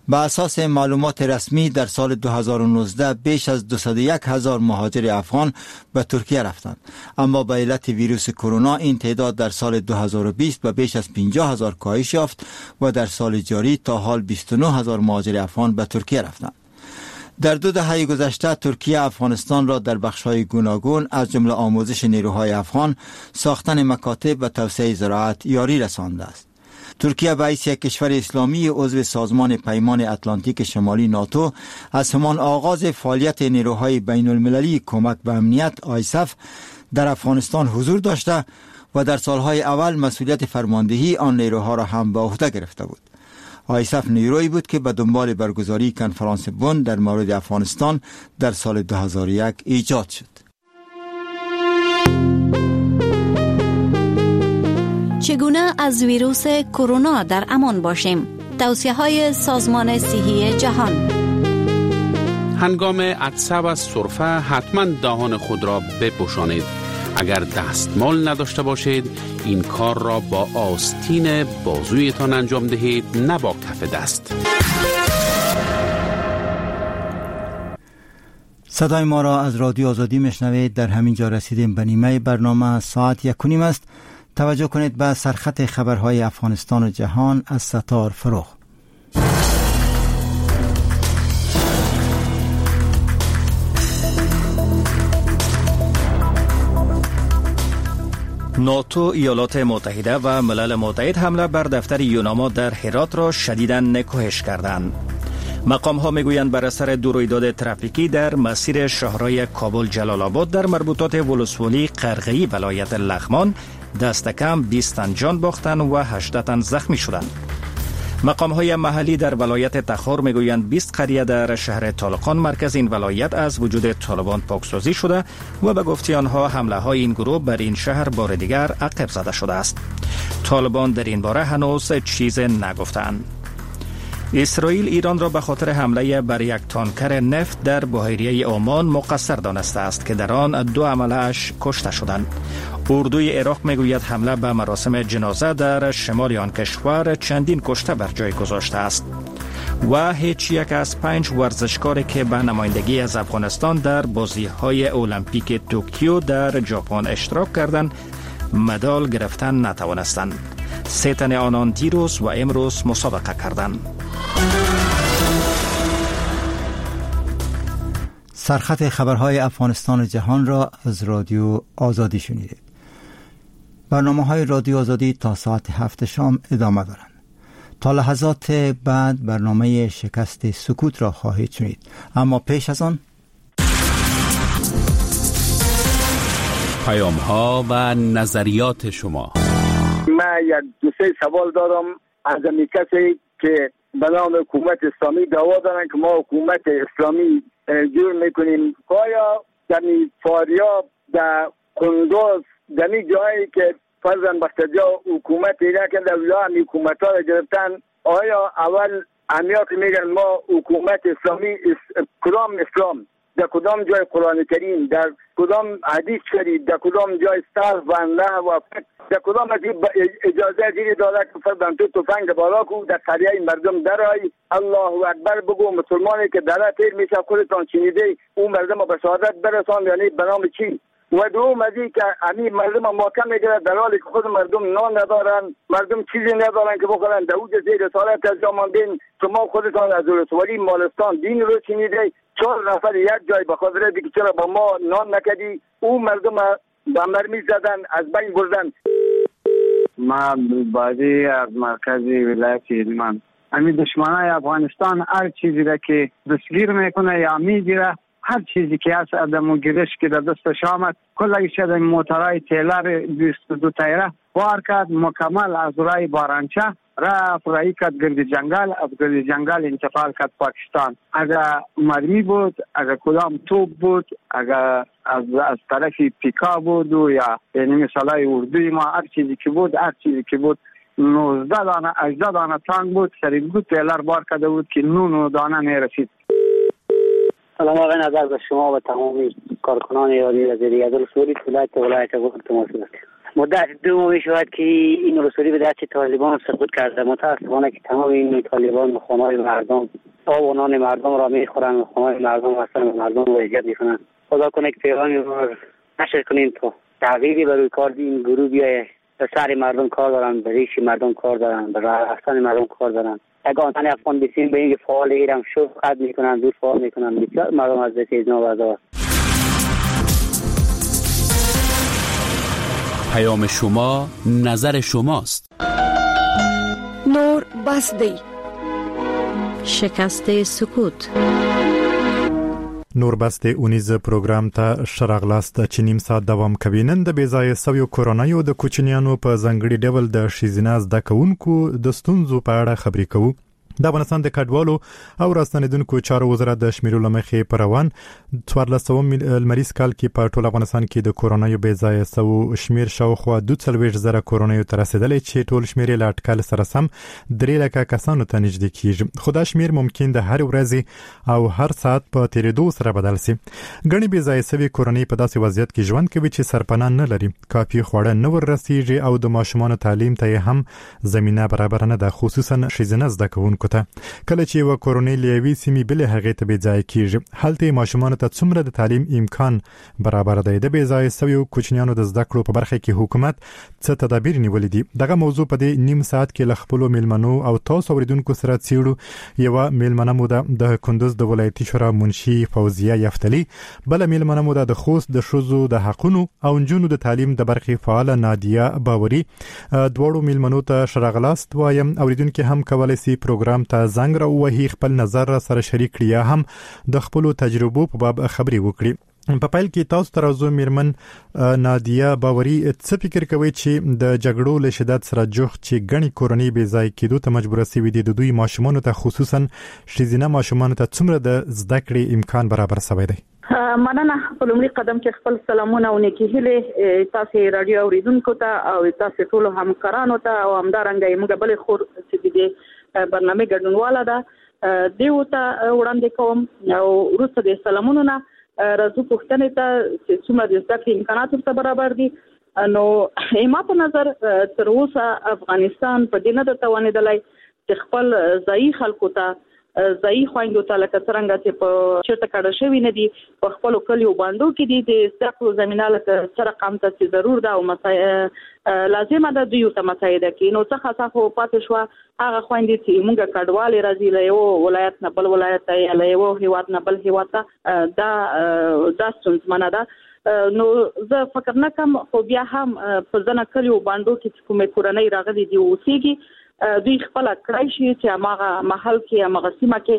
A: به اساس معلومات رسمی در سال 2019 بیش از 201 هزار مهاجر افغان به ترکیه رفتند، اما به علت ویروس کرونا این تعداد در سال 2020 به بیش از 50 هزار کاهش یافت و در سال جاری تا حال 29 هزار مهاجر افغان به ترکیه رفتند. در 2 دهه گذشته ترکیه افغانستان را در بخش‌های گوناگون از جمله آموزش نیروهای افغان، ساختن مکاتب و توسعه زراعت یاری رسانده است. ترکیه به حیث یک کشور اسلامی عضو سازمان پیمان اتلانتیک شمالی ناتو از همان آغاز فعالیت نیروهای بین المللی کمک به امنیت آیسف در افغانستان حضور داشته و در سالهای اول مسئولیت فرماندهی آن نیروها را هم به عهده گرفته بود. آیسف نیرویی بود که به دنبال برگزاری کنفرانس بن در مورد افغانستان در سال 2001 ایجاد شد.
K: چگونه از ویروس کرونا در امان باشیم؟ توصیه‌های سازمان صحی جهان.
B: هنگام عطسه و سرفه حتما دهان خود را بپوشانید. اگر دستمال نداشته باشید این کار را با آستین بازویتان انجام دهید، نه با کف دست.
A: صدای ما را از رادیو آزادی میشنوید. در همین جا رسیدیم به نیمه برنامه. ساعت 1:30 است. توجه کنید به سرخط خبرهای افغانستان و جهان از ستار فروغ.
C: ناتو، ایالات متحده و ملل متحد حمله بر دفتر یوناما در هرات را شدیداً نکوهش کردند. مقام ها میگویند بر اثر دو رویداد ترافیکی در مسیر شهرهای کابل جلال آباد در مربوطات ولسوالی قرغه‌ای ولایت لغمان دست کم 20 تن جان باختند و 18 تن زخمی شدند. مقام های محلی در ولایت تخار میگویند 20 قریه در شهر طالقان مرکز این ولایت از وجود طالبان پاکسازی شده و به گفته آنها حمله های این گروه بر این شهر بار دیگر عقب زده شده است. طالبان در این باره هنوز چیز نگفتند. اسرائیل ایران را به خاطر حمله بر یک تانکر نفت در بحیره عمان مقصر دانسته است که در آن 2 عمله‌اش کشته شدند. اردوی عراق میگوید حمله به مراسم جنازه در شمال آن کشور چندین کشته بر جای گذاشته است. و هیچ یک از 5 ورزشکار که به نمایندگی از افغانستان در بازی‌های المپیک توکیو در ژاپن اشتراک کردند مدال گرفتن نتوانستند. 3 تن آنان دیروز و امروز مسابقه کردند.
A: سرخط خبرهای افغانستان و جهان را از رادیو آزادی شنیدید. برنامه‌های رادیو آزادی تا ساعت 7 شام ادامه دارند. تا لحظات بعد برنامه شکست سکوت را خواهید شنید. اما پیش از آن
B: پیام‌ها و نظریات شما.
L: من یک دو سه سوال دارم از کسی که به نام حکومت اسلامی دعوا دارن که ما حکومت اسلامی جور میکنیم. آیا در فاریاب، در قندوز، در جایی که فرضاً بختجا حکومت ایران که در هم حکومت ها را گرفتن، آیا اول امیا که میگن ما حکومت اسلامی، کدام اسلام، در کدام جای قرآن کریم، در کدام حدیث شریف، در کدام جای صرف و نحو و فقه، در کدام از اجازه زیری داره که فرضاً تو تفنگ بالا کو در قریه مردم درای الله اکبر بگو، مسلمانی که در تیر میشه خودتان شنیده او مردم به شهادت برسان، یعنی به نام چی؟ و دوم از این که همین مردم ماکم میگیره در حالی که خود مردم نان ندارن، مردم چیزی ندارن که بخورن، در اوج زیر رسالت از جاماندین شما خودتان از ولسوالی مالستان دین رو شنیده 4 نفر یک جای به خاطر دیگه چرا با ما نان نکدی، او مردم به مرمی زدن از بین بردن.
M: ما بازی از مرکز ولایت هلمند، همین دشمنای افغانستان هر چیزی را که دستگیر میکنه یا میگیره، هر چیزی که هست ادمو گیرش که در دستش آمد کلش در موترهای تیلر 22 تایره بار کرد، مکمل از رای بارانچه رفت رای کرد گرد جنگل، از گرد جنگل انتقال کرد پاکستان. اگر مرمی بود، اگر کدام توپ بود، اگر از طرف پیکا بود و یا یعنی مثالای اردوی ما، هر چیزی که بود، هر چیزی که بود 19 دانه 18 دانه تانک بود، سر دو تیلر بار کرده بود که 9 دانه میرسید.
N: سلام آقای نظر به شما و تمامی کارکنان رادیو آزادی از ولسوالی ولایت غور تماس گرفت. مدت 2 ماه شد که این ولسوالی به دست طالبان سقوط کرده. متاسفانه که تمام این طالبان خانه‌های مردم، آب و نان مردم را میخورند، خانه‌های مردم هستند و مردم را اذیت میکنند. خدا کنه که پیغامی را نشر کنیم تا تغییری بر روی کار این گروه بیاید. به سر مردم کار دارن، به ریش مردم کار دارن، به رفتن مردم کار دارن. اگه آنتن افغان بسیم به اینکه فعال ایران شد قد میکنن، دور فعال میکنن، بسیار مردم از دست اینا بردار.
B: پیام شما نظر شماست.
O: نور بس دی.
K: شکست سکوت.
P: نور بس د اونیز پروګرام ته ښه راغلاست چې نیم ساعت دوام کوي. نن د بې ځایه سویو کورنیو د کوچنیانو په ځانګړي ډول د ښځینه زده کوونکو د ستونزو په اړه خبرې کوو. د افغانستان د کډوالو او راستنېدونکو چارو وزارت د شمیرو له مخې په روان 14 لمریز کال کې په ټول افغانستان کې د کورنیو بې ځایه سوو شمیر شاوخوا 42,000 کورنیو ته رسېدلی چې ټول شمیر یې له اټکل سره سم 3 لکه کسانو ته نږدې کیږي. خو دا شمیر ممکن د هرې ورځې او هر ساعت په تېرېدو سره بدل سي. ګڼې بې ځایه سوې کورنۍ په داسې وضعیت کې ژوند کوي چې سرپناه نه لري، کافي خواړه نه ور رسیږي او د ماشومانو تعلیم ته یې هم زمینه برابره نه ده، خصوصا ښځینه زده کوونکو ته. کله چې یوه کورنۍ له یوې سیمې بلې هغې ته بې ځایه کیږي، هلته یې ماشومانو ته څومره د تعلیم امکان برابر دی؟ د بې ځایه سویو کوچنیانو د زده کړو په برخه کې حکومت څه تدابیر نیولي دي؟ دغه موضوع په دې نیم ساعت کې له خپلو میلمنو او تاسو اوریدونکو سره څېړو. یوه میلمنه مو ده د کندوز د ولایتي شورا منشي فوزیه یفتلي، بله میلمنه مو ده د خوست د ښځو د حقونو او نجونو د تعلیم د برخې فعاله نادیه باوري. دواړو میلمنو ته ښه راغلاست وایم. اوریدونکي هم کولی سي پروګرام ته زنګ راووهي، خپل نظر را سره شریک کړي یا هم د خپلو تجربو په باب خبرې وکړي. په پیل کې تاسو ته راځو میرمن نادیه باوري، څه فکر کوئ چې د جګړو له شدت سره جوخت چې ګڼې کورنۍ بې ځای کېدو ته مجبوره سوي دي، د دوی ماشومانو ته خصوصا ښځینه ماشومانو ته څومره د زده کړې امکان برابر سوی دی؟
Q: مننه. په لومړي قدم کې خپل سلامونه او نیکې هیلې تاسو راډیو اوریدونکو ته او تاسو ټولو همکارانو ته او همدارنګه موږ بلې خور چې د دې برنامې ګډونواله ده دیو ته وړاندې کوم. او وروسته د سلامونو نه راځو پوښتنې ته چې څومره د زده کړې امکانات ورته برابر دي. نو ما په نظر تر اوسه افغانستان په دې نه ده توانېدلی چې خپل ځایي خلکو ته، ځایي خویندو ته لکه څرنګه چې په چېرته کډه شوي نه دي، په خپلو کلیو بانډو کې دي، د زده کړو زمینه لکه څه رقم ته چې ضرور ده او لازمه ده دوی ورته مساعده کړي. نو څه خاصه خو پاتې شوه هغه خویندې چې موږ کډوالې راځي له یو ولایت نه بل ولایت ته یا له یو هیواد نه بل هیواد ته، دا ستونزمنه ده. نو زه فکر نه کوم، خو بیا هم په ځنه کلیو بانډو کې چې کومې کورنۍ راغلي دي اوسېږي، دوی خپله کړای شي چې هماغه محل کې هماغه سیمه کې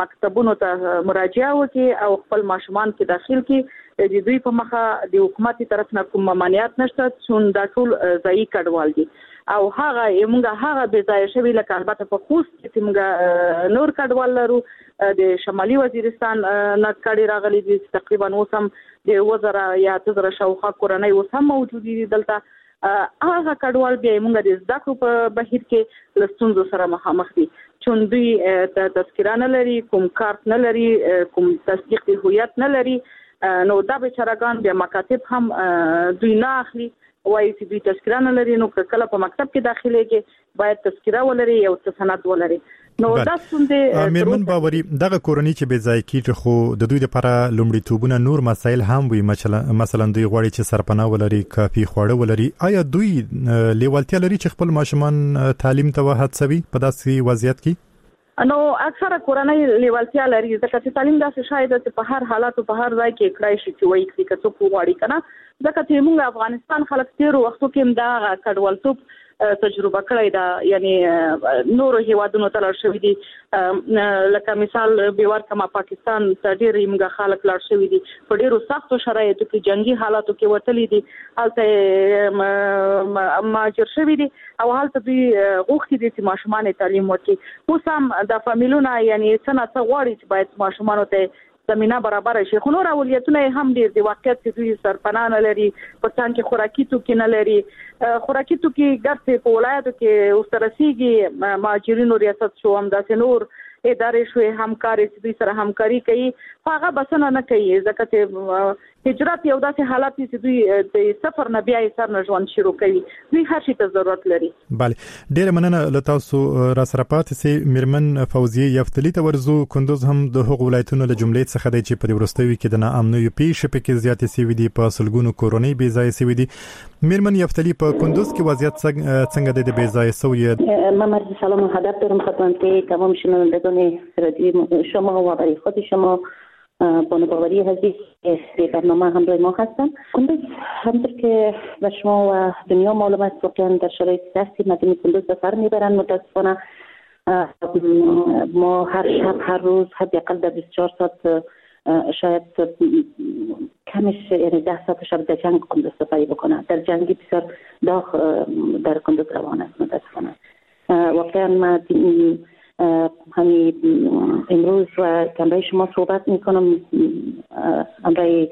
Q: مکتبونو ته مراجعه وکړي او خپل ماشومان کې داخل کړي. د دوی په مخه د حکومت طرف نه کوم ممانعت نشته، چون دا ټول ځایي کډوال دي. او هغه موږ هغه بې ځایه شوي لکه البته په خوست کې چې موږ نور کډوال لرو، د شمالي وزیرستان نه کډې راغلي دي چې تقریبا اوس هم د 7,000 یا 8,000 شاوخوا کورنۍ اوس هم موجودې دي دلته. هغه کډوال بیا موږ د زده کړو په بهیر کې له ستونزو سره مخامخ دي، چون دوی تذکره نه لري، کوم کارت نه لري، کوم تصدیق د هویت نه لري. نو دا بیچارهګان بیا مکاتب هم دوی نه اخلي، وایي چې دوی تذکره نه لري. نو که کله په مکتب کې داخلېږي باید تذکره ولري، یو څه سند ولري. نو دا ستونزې.
P: میرمن باوري، دغه کورنۍ چې بې ځایه کیږي خو د دوی لپاره لومړیتوبونه نور مسایل هم وي، مثلا دوی غواړي چې سرپناه ولري، کافي خواړه ولري. آیا دوی لیوالتیا لري چې خپل ماشومان تعلیم ته وهڅوي په داسې وضعیت کې؟
Q: نو اکثره کورنۍ لیوالتیا لري، ځکه چې تعلیم داسې شی ده چې په هر حالت او په هر ځای کې کړای شي چې وایي کړي که څوک وغواړي که نه. ځکه چې موږ افغانستان خلک تېرو وختو کې هم دغه کډوالتوب تجربه کړی ده، یعنی نورو هیوادونو ته لاړ شوي دي. لکه مثال به ورکړم، پاکستان ته ډېر موږ خلک لاړ شوي دي، په ډېرو سختو شرایطو کې، جنګي حالاتو کې وتلي دي، هلته مهاجر شوي دي او هلته دوی غوښتي دي چې ماشومان یې تعلیم ورکړي. اوس هم دا فامیلونه یعنی څه نا څه غواړي چې باید ماشومانو ته زمینه برابره شي، خو نور اولویتونه یې هم ډېر دي. واقعیت چې دوی سرپناه نه لري، په څنګ کې خوراکي توکي نه لري. خوراکي توکي ګرځي په ولایاتو کې ورته رسېږي، مهاجرینو ریاست شو، همداسې نور ادارې شوې همکارې چې دوی سره همکاري کوي، خو هغه بسنه نه کوي، ځکه چې هجرت یو داسې حالت دی چې دوی د سفر نه بیا یې سر نه ژوند شروع کوي، دوی هر شي ته ضرورت لري.
P: بله، ډېره مننه له تاسو را سره پاتې سئ. میرمن فوزیه یفتلي ته ورځو. کندوز هم د هغو ولایتونو له جملې څخه دی چې په دې وروستیو کې د ناامنیو پېښې پکې زیاتې سوي دي، په سلګونو کورنۍ بې ځایه سوي دي. میرمن یفتلي، په کندوز کې وضعیت څنګه دی د بې ځایه سویو؟
R: من عرض سلام و ادب دارم خدمت تمام شنوندگان رادیو شما و برای خود شما بانو باوری عزیز به برنامه همراه ما هستم. کندوز همطور که به شما و دنیا معلوم است واقعا در شرایط سختی مردم کندوز به سر میبرند. متاسفانه ما هر شب، هر روز، حداقل در 24 ساعت شاید کمش یعنی 10 ساعت شب در جنگ کندز سپری بکنه. در جنگی بسیار داغ در کندز روان است متاسفانه. واقعا من همین امروز و همراه شما صحبت میکنم، همراه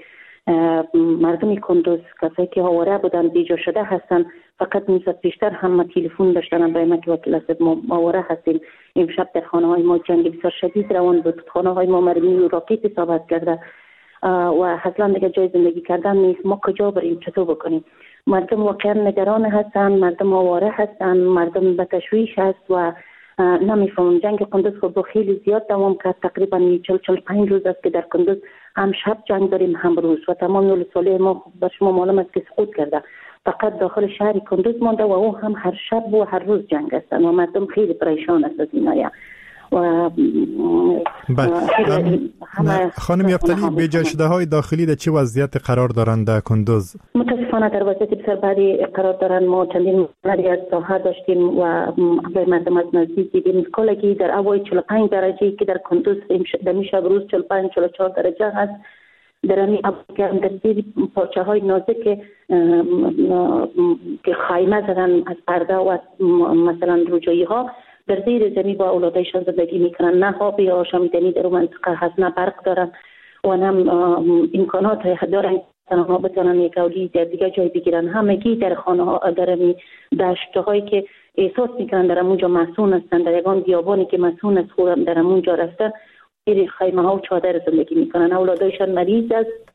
R: مردم کندز، کسایی که آواره بودن، بیجا شده هستن. فقط نیم ساعت پیشتر هم ما تلفن داشتن برای ما که وکیل است ما آواره هستیم، امشب در خانه های ما جنگ بسیار شدید روان بود، خانه های ما مرمی و راکت اصابت کرده و اصلا دیگه جای زندگی کردن نیست، ما کجا بریم، چطور بکنیم؟ مردم واقعا نگران هستن، مردم آواره هستن، مردم به تشویش هست و نمیفهمم. جنگ کندز خب خیلی زیاد دوام کرد، تقریبا 40-45 روز است که در کندز هم شب جنگ داریم هم روز و تمام ولسوالی ما بر شما معلوم است که سقوط کرده، فقط داخل شهر کندز مانده و او هم هر شب و هر روز جنگ هستن و مردم خیلی پریشان است از این. و
P: خانم یفتلی، بیجا شده های داخلی در چه وضعیت قرار دارند در کندز؟
R: متاسفانه در وضعیت بسیار بدی قرار دارند. ما چندین مردی از ساحه داشتیم و مردم از نزدیک دیدیم. کلگی در هوای 45 درجه که در کندز در شب روز 45-44 درجه هست، در همین در زیر پارچه های نازک که خیمه زدن از پرده و مثلا روجایی ها، در زیر زمین با اولادایشان زندگی میکنن. نه آب آشامیدنی در منطقه هست، نه برق دارن و نه امکانات دارن که بتونن یک اولی در دیگه جای بگیرن. همگی در خانه ها، در دشت هایی که احساس میکنن در اونجا مسون هستن، در یگان بیابانی که مسون است خودم در اونجا رفته، زیر خیمه ها و چادر زندگی میکنن. اولادایشان مریض است،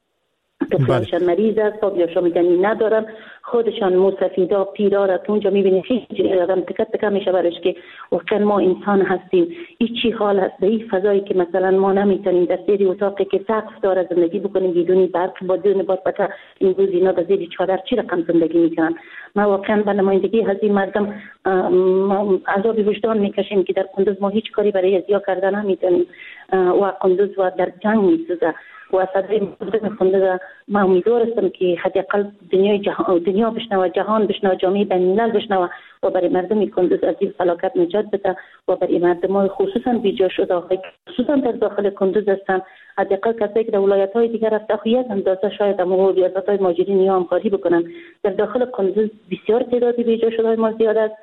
R: طفلشان مریض است، آب آشامیدنی ندارن، خودشان موسفیدا پیرا را اونجا میبینی خیلی آدم تکه تکه میشه برش که واقعا ما انسان هستیم، این چی حال هست در این فضایی که مثلا ما نمیتونیم در زیر اتاقی که سقف داره زندگی بکنیم، بدون برق، بدون بادبکه. این روز اینا در زیر چادر چی رقم زندگی میکنن؟ ما واقعا به نمایندگی از این مردم عذاب وجدان میکشیم که در کندز ما هیچ کاری برای ازیا کردن نمیتونیم و کندز و در جنگ میسوزه و صدای مردم کندز. ما امیدوار هستم که حداقل دنیا بشنوه، جهان بشنوه، جامعه بین‌الملل بشنوه و برای مردم کندز از این فلاکت نجات بده و برای مردم خصوصا بیجا شده، خصوصا در داخل کندز هستن، حداقل کسایی که در ولایت های دیگر رفته یک اندازه شاید هم ریاست های مهاجرین یا همکاری بکنن. در داخل کندز بسیار تعداد بیجا شده ما زیاد است،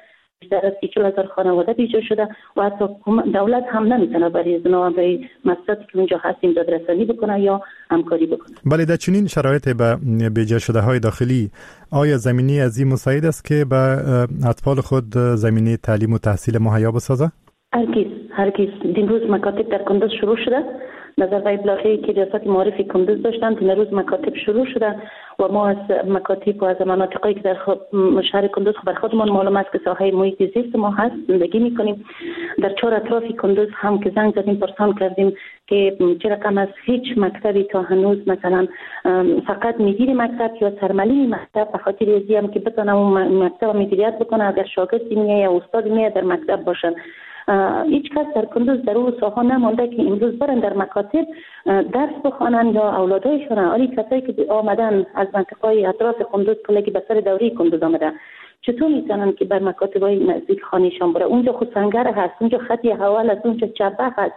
R: بیشتر از 40,000 خانواده بیجا شده و حتی دولت هم نمیتونه برای برای مسائلی که اونجا هستیم دادرسانی بکنه یا همکاری بکنه.
P: بله، در چنین شرایط به بیجا شده های داخلی آیا زمینی از این مساعد است که به اطفال خود زمینه تعلیم و تحصیل مهیا بسازه؟
R: هرگز. دیروز مکاتب در کندز شروع شده. نظر به ابلاغی که ریاست معارف کندز داشتند، دیروز مکاتب شروع شده و ما از مکاتب و از مناطقی که در شهر کندز بر خودمان معلوم است که ساحه محیط زیست ما هست زندگی میکنیم. در چهار اطراف کندز هم که زنگ زدیم پرسان کردیم که چه رقم از هیچ مکتبی تا هنوز مثلا فقط مدیر مکتب یا سرمعلم مکتب به خاطر ازی هم که بتونه اون مکتب مدیریت بکنه، اگر شاگردی میه یا استاد میه در مکتب باشن. هیچ کس در کندز در اون ساحه نمانده که امروز برن در مکاتب درس بخوانن یا اولادایشان. آری کسایی که آمدن از منطقه اطراف کندز کلگی به سر دوره کندز آمدن، چطور میتونن که بر مکاتب های نزدیک خانهشان بره؟ اونجا خود سنگر هست، اونجا خطی حوال هست، اونجا چبه هست،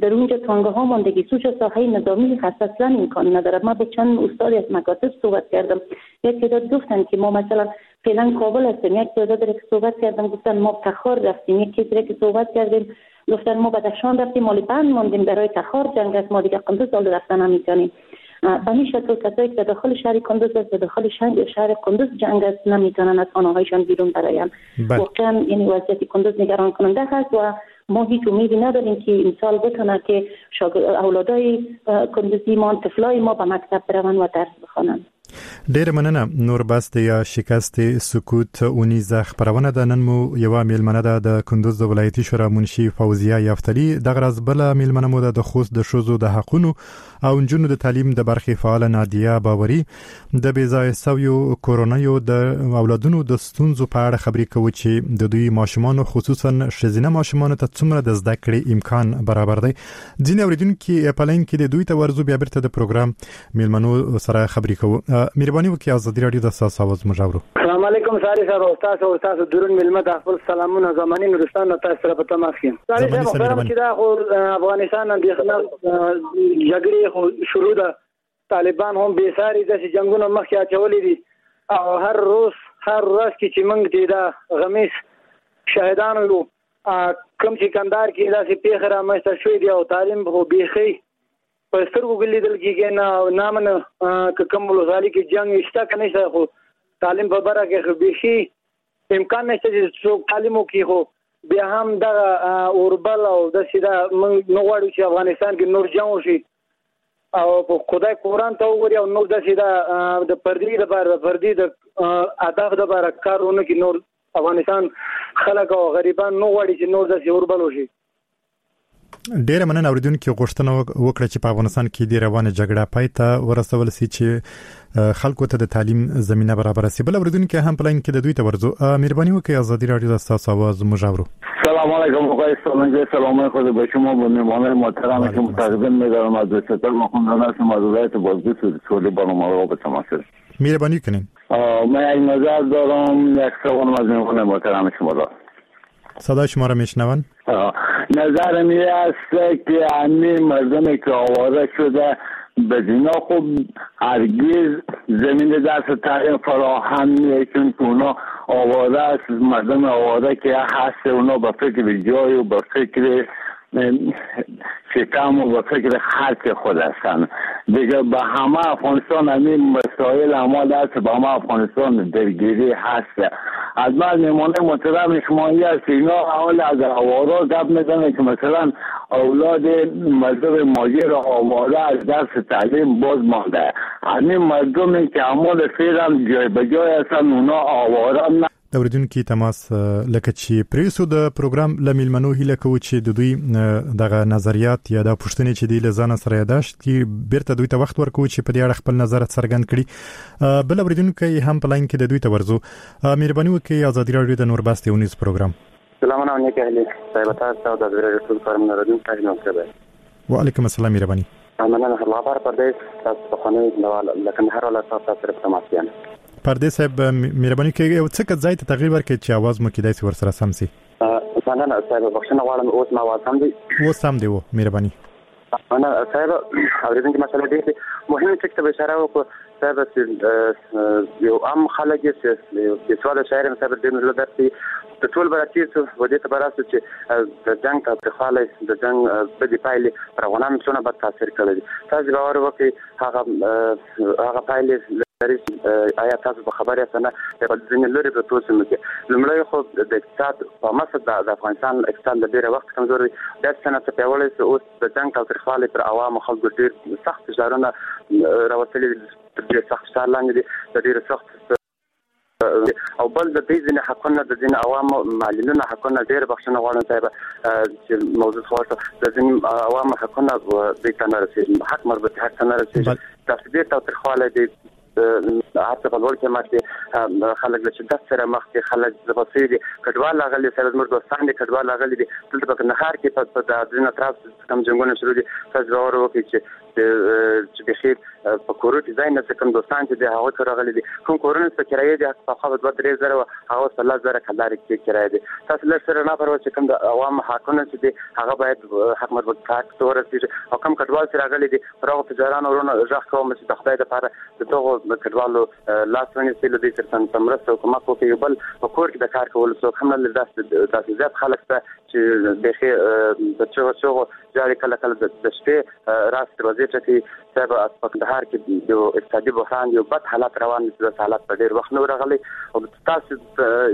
R: در اونجا تانگه ها ماندگی، اونجا ساحه نظامی هست، اصلا امکان نداره. ما با چند استاد از مکاتب صحبت کردم، یک تعداد گفتن که ما مثلا فعلا کابل هستیم، یک تعداد که صحبت کردم گفتن ما تخار رفتیم، یک کسی که صحبت کردیم گفتن ما بدخشان رفتیم، مالی بند ماندیم برای تخار جنگ است، ما دیگه کندز حال رفتن نمیتونیم. به این شکل کسایی که داخل شهر کندز است، داخل شهر کندز جنگ است، نمیتونن از خانه‌هایشان بیرون برایم. واقعا این وضعیت کندز نگران کننده هست و ما هیچ امیدی نداریم که امسال بتونه که اولادای کندزی ما، طفلای ما به مکتب بروند و درس بخوانند.
P: ډیر مننه. نور بس د یا شکست سکوت اونیزه خپرونه ده. نن مو یوه میلمنه ده د کندوز د ولایتي شورا منشي فوزیه یفتلی، دغه راز بله میلمنه مو ده د خوست د ښځو د حقونو او نجونو د تعلیم د برخې فعاله نادیه باوري د بې ځایه سویو کورنیو د اولادونو د ستونزو په اړه خبرې کوي چې د دوی ماشومانو خصوصا ښځینه ماشومانو ته څومره د زده کړې امکان برابر دی. ځینې اورېدونکي په لاین کې د دوی ته ورځو، بیا بیرته د پروګرام میلمنو سره خبرې کوو. مهرباني وکړئ ازادي راډیو د ستاسو اواز موږ اورو.
N: السلام
S: علیکم ساری صاحب، او تاسو او تاسو درون ملمه د خپل سلامونه زمانی نورستان نه تاسو سره په تماس کې. ساری صاحب خبرم چې دا خو افغانستان اندېښنه جګړې خو شروع ده، طالبان هم بې ساري داسې جنګونه مخکې اچولي دي او هر روز هر ورځ کې چې موږ دې دا غمیز شاهدان یو، کوم چې کندهار کې داسې پېښه رامنځته شوې دي او تعلیم خو بیخي په سترګو کې لیدل کېږي نه نامنه که کوم ولسوالي کې جنګ شته که نشته، خو تعلیم په بره کې خو بیخي امکان نشته چې څوک تعلیم وکړي. خو بیا هم دغه اوربل او داسې دا موږ نه غواړو چې افغانستان کې نور جنګ وشي او په خدای قرآن ته وګوري او نور داسې دا د پردي دپاره د پردي د هدف دپاره کار ونه کړي. نور افغانستان خلک او غریبان نه غواړي چې نور داسې اوربل وشي.
P: ډیره مننه اوریدونکو غوښتنه وکړه چې په افغانستان کې د روانه جګړه پای ته ورسول سي چې خلکو ته د تعلیم زمينه برابره سي. بل اوریدونکو هم په لاین کې د دوی ته ورځو، مهرباني وکړئ ازادي رادیو د تاسو اواز موږ اورو.
T: سلام علیکم آقای سالنگی، سلام خود به شما و مهمانان محترم که متقدم می‌دارم از ستار مخوندان هستم از ولایت بازدید سولی برنامه را به تماس.
P: مهربانی کنین.
T: من یک نظر دارم، یک سوال از مهمان محترم شما دارم.
P: صدای شما را میشنون؟
T: نظر می است که همه مردم که آواره شده به دینا خب هرگز زمین درس تعلیم فراهم نیست، چون که اونا آواره است. مردم آواره که هست اونا به فکر جای و به فکر شکم و به فکر خرچ خود هستن دیگه. به همه افغانستان همین مسائل اعمال هست، به همه افغانستان درگیری هست. از من میمانه محترم شمایی هست اینا حال از آواره گپ میزنه که مثلا اولاد مردم ماجر آواره از درس تعلیم باز مانده. همین مردمی که اعمال فعلا جای به جای هستن اونا آواره نه.
P: د اوریدونکو تماس لکه چې پریسو د پروګرام له میلمنو هیله کوو چې د دوی دغه نظریات یا د پوښتنې چې دی له ځانه سره یاداشت کړي، بیرته دوی ته وخت ورکوو چې په دې اړه خپل نظر څرګند کړي. بل اوریدونکی هم په لاین کې د دوی ته ورځو، مهرباني وکړئ ازادي راډیو د نور بس یو نیوز پروګرام.
U: سلامونه نیک اهلي صاحب، تاسو د ازادي راډیو ټول کارمندان راډیو.
P: وعلیکم السلام، مهرباني.
U: مننه الله بار پردیس تاسو په خانه د کندهار ولایت تاسو سره تماس یم.
P: پردیس صاحب مهرباني کوي یو څه ځای ته تغییر ورکړئ چې اواز مو کېدای شي ورسره سم سي.
U: مننه صاحب، بخښنه غواړم اوس ما اواز سم دی؟
P: اوس سم دی و، مهرباني.
U: مننه صاحب، اورېدونکي مسله ډېر مهمه ټکي ته اشاره وکړه صاحب چې یو عام خلک چې بېسواده شاعر یم صاحب، ډېر له درس د ټول به راتېر شو و دې ته به راسو چې د جنګ تاوتریخوالی، د جنګ بدې پایلې پر افغانانو څونه بد تاثیر کړی دی. تاسو باور وکړئ هغه هغه پایلې لري چې آیا تاسو به خبر یاست نه، په ځینې لرې پرتو سیمو کې لومړی خو د اقتصاد په مسه د افغانستان اقتصاد له ډېره وخت کمزوری دی، دا څه نه څه پیاوړی شو. اوس د جنګ تاوتریخوالی پر عوامو خلکو ډېر سخت فشارونه راوستلي دي، تر ډېر سخت فشار لاندې دي، د ډېرو سخت او بل د دې ځینې حقونه د ځینې عوامو معلولینو حقونه ډېر بخښنه غواړم صاحب چې موضوع خو د ځینې عوامو حقونه دوی ته نه رسېږي، حق مربوط حق ته نه رسېږي. داسې ډېر تاوتریخوالی دی، هر څه په لوړ قیمت دي، خلک له شدت سره مخ دي، خلک ځپل شوي دي، کډوال راغلي سره زموږ دوستان دي کډوال راغلي دي. دلته په کندهار کې په ځینو اطراف کوم جنګونه شروع دي، تاسو باور وکړئ چې چې بیخي په کورو کې ځای نشته. کوم دوستان چې دي هغوی ته راغلي دي، کوم کورونه چې په کرایې دي پخوا به 2-3 زره وه، هغه اوس په 10 زره کلدارې کې کرایه دي. تاسو لږ سره نه پروا چې کوم د عوامو حقونه چې دي هغه باید حق مربوط حق ته ورسېږي. او کوم کډوال چې راغلي دي پر هغو تجارانو وروڼو غږ کوم چې د خدای دپاره د دغو کډوالو لاس ونیسي، له دوی سره څه مرسته او کومک وکړي. یو بل په کور کې د کار کولو څوک هم نه لري، داسې زیات خلک شته چې بیخي په چغو چغو ژاړي، کله کله د شپې راس دروازې ټکوي. صاحب په کندهار کې یو اقتصادي بحران یو بد حالت روان دی، داسې حالت په ډېر وخت نه و راغلی. او تاسو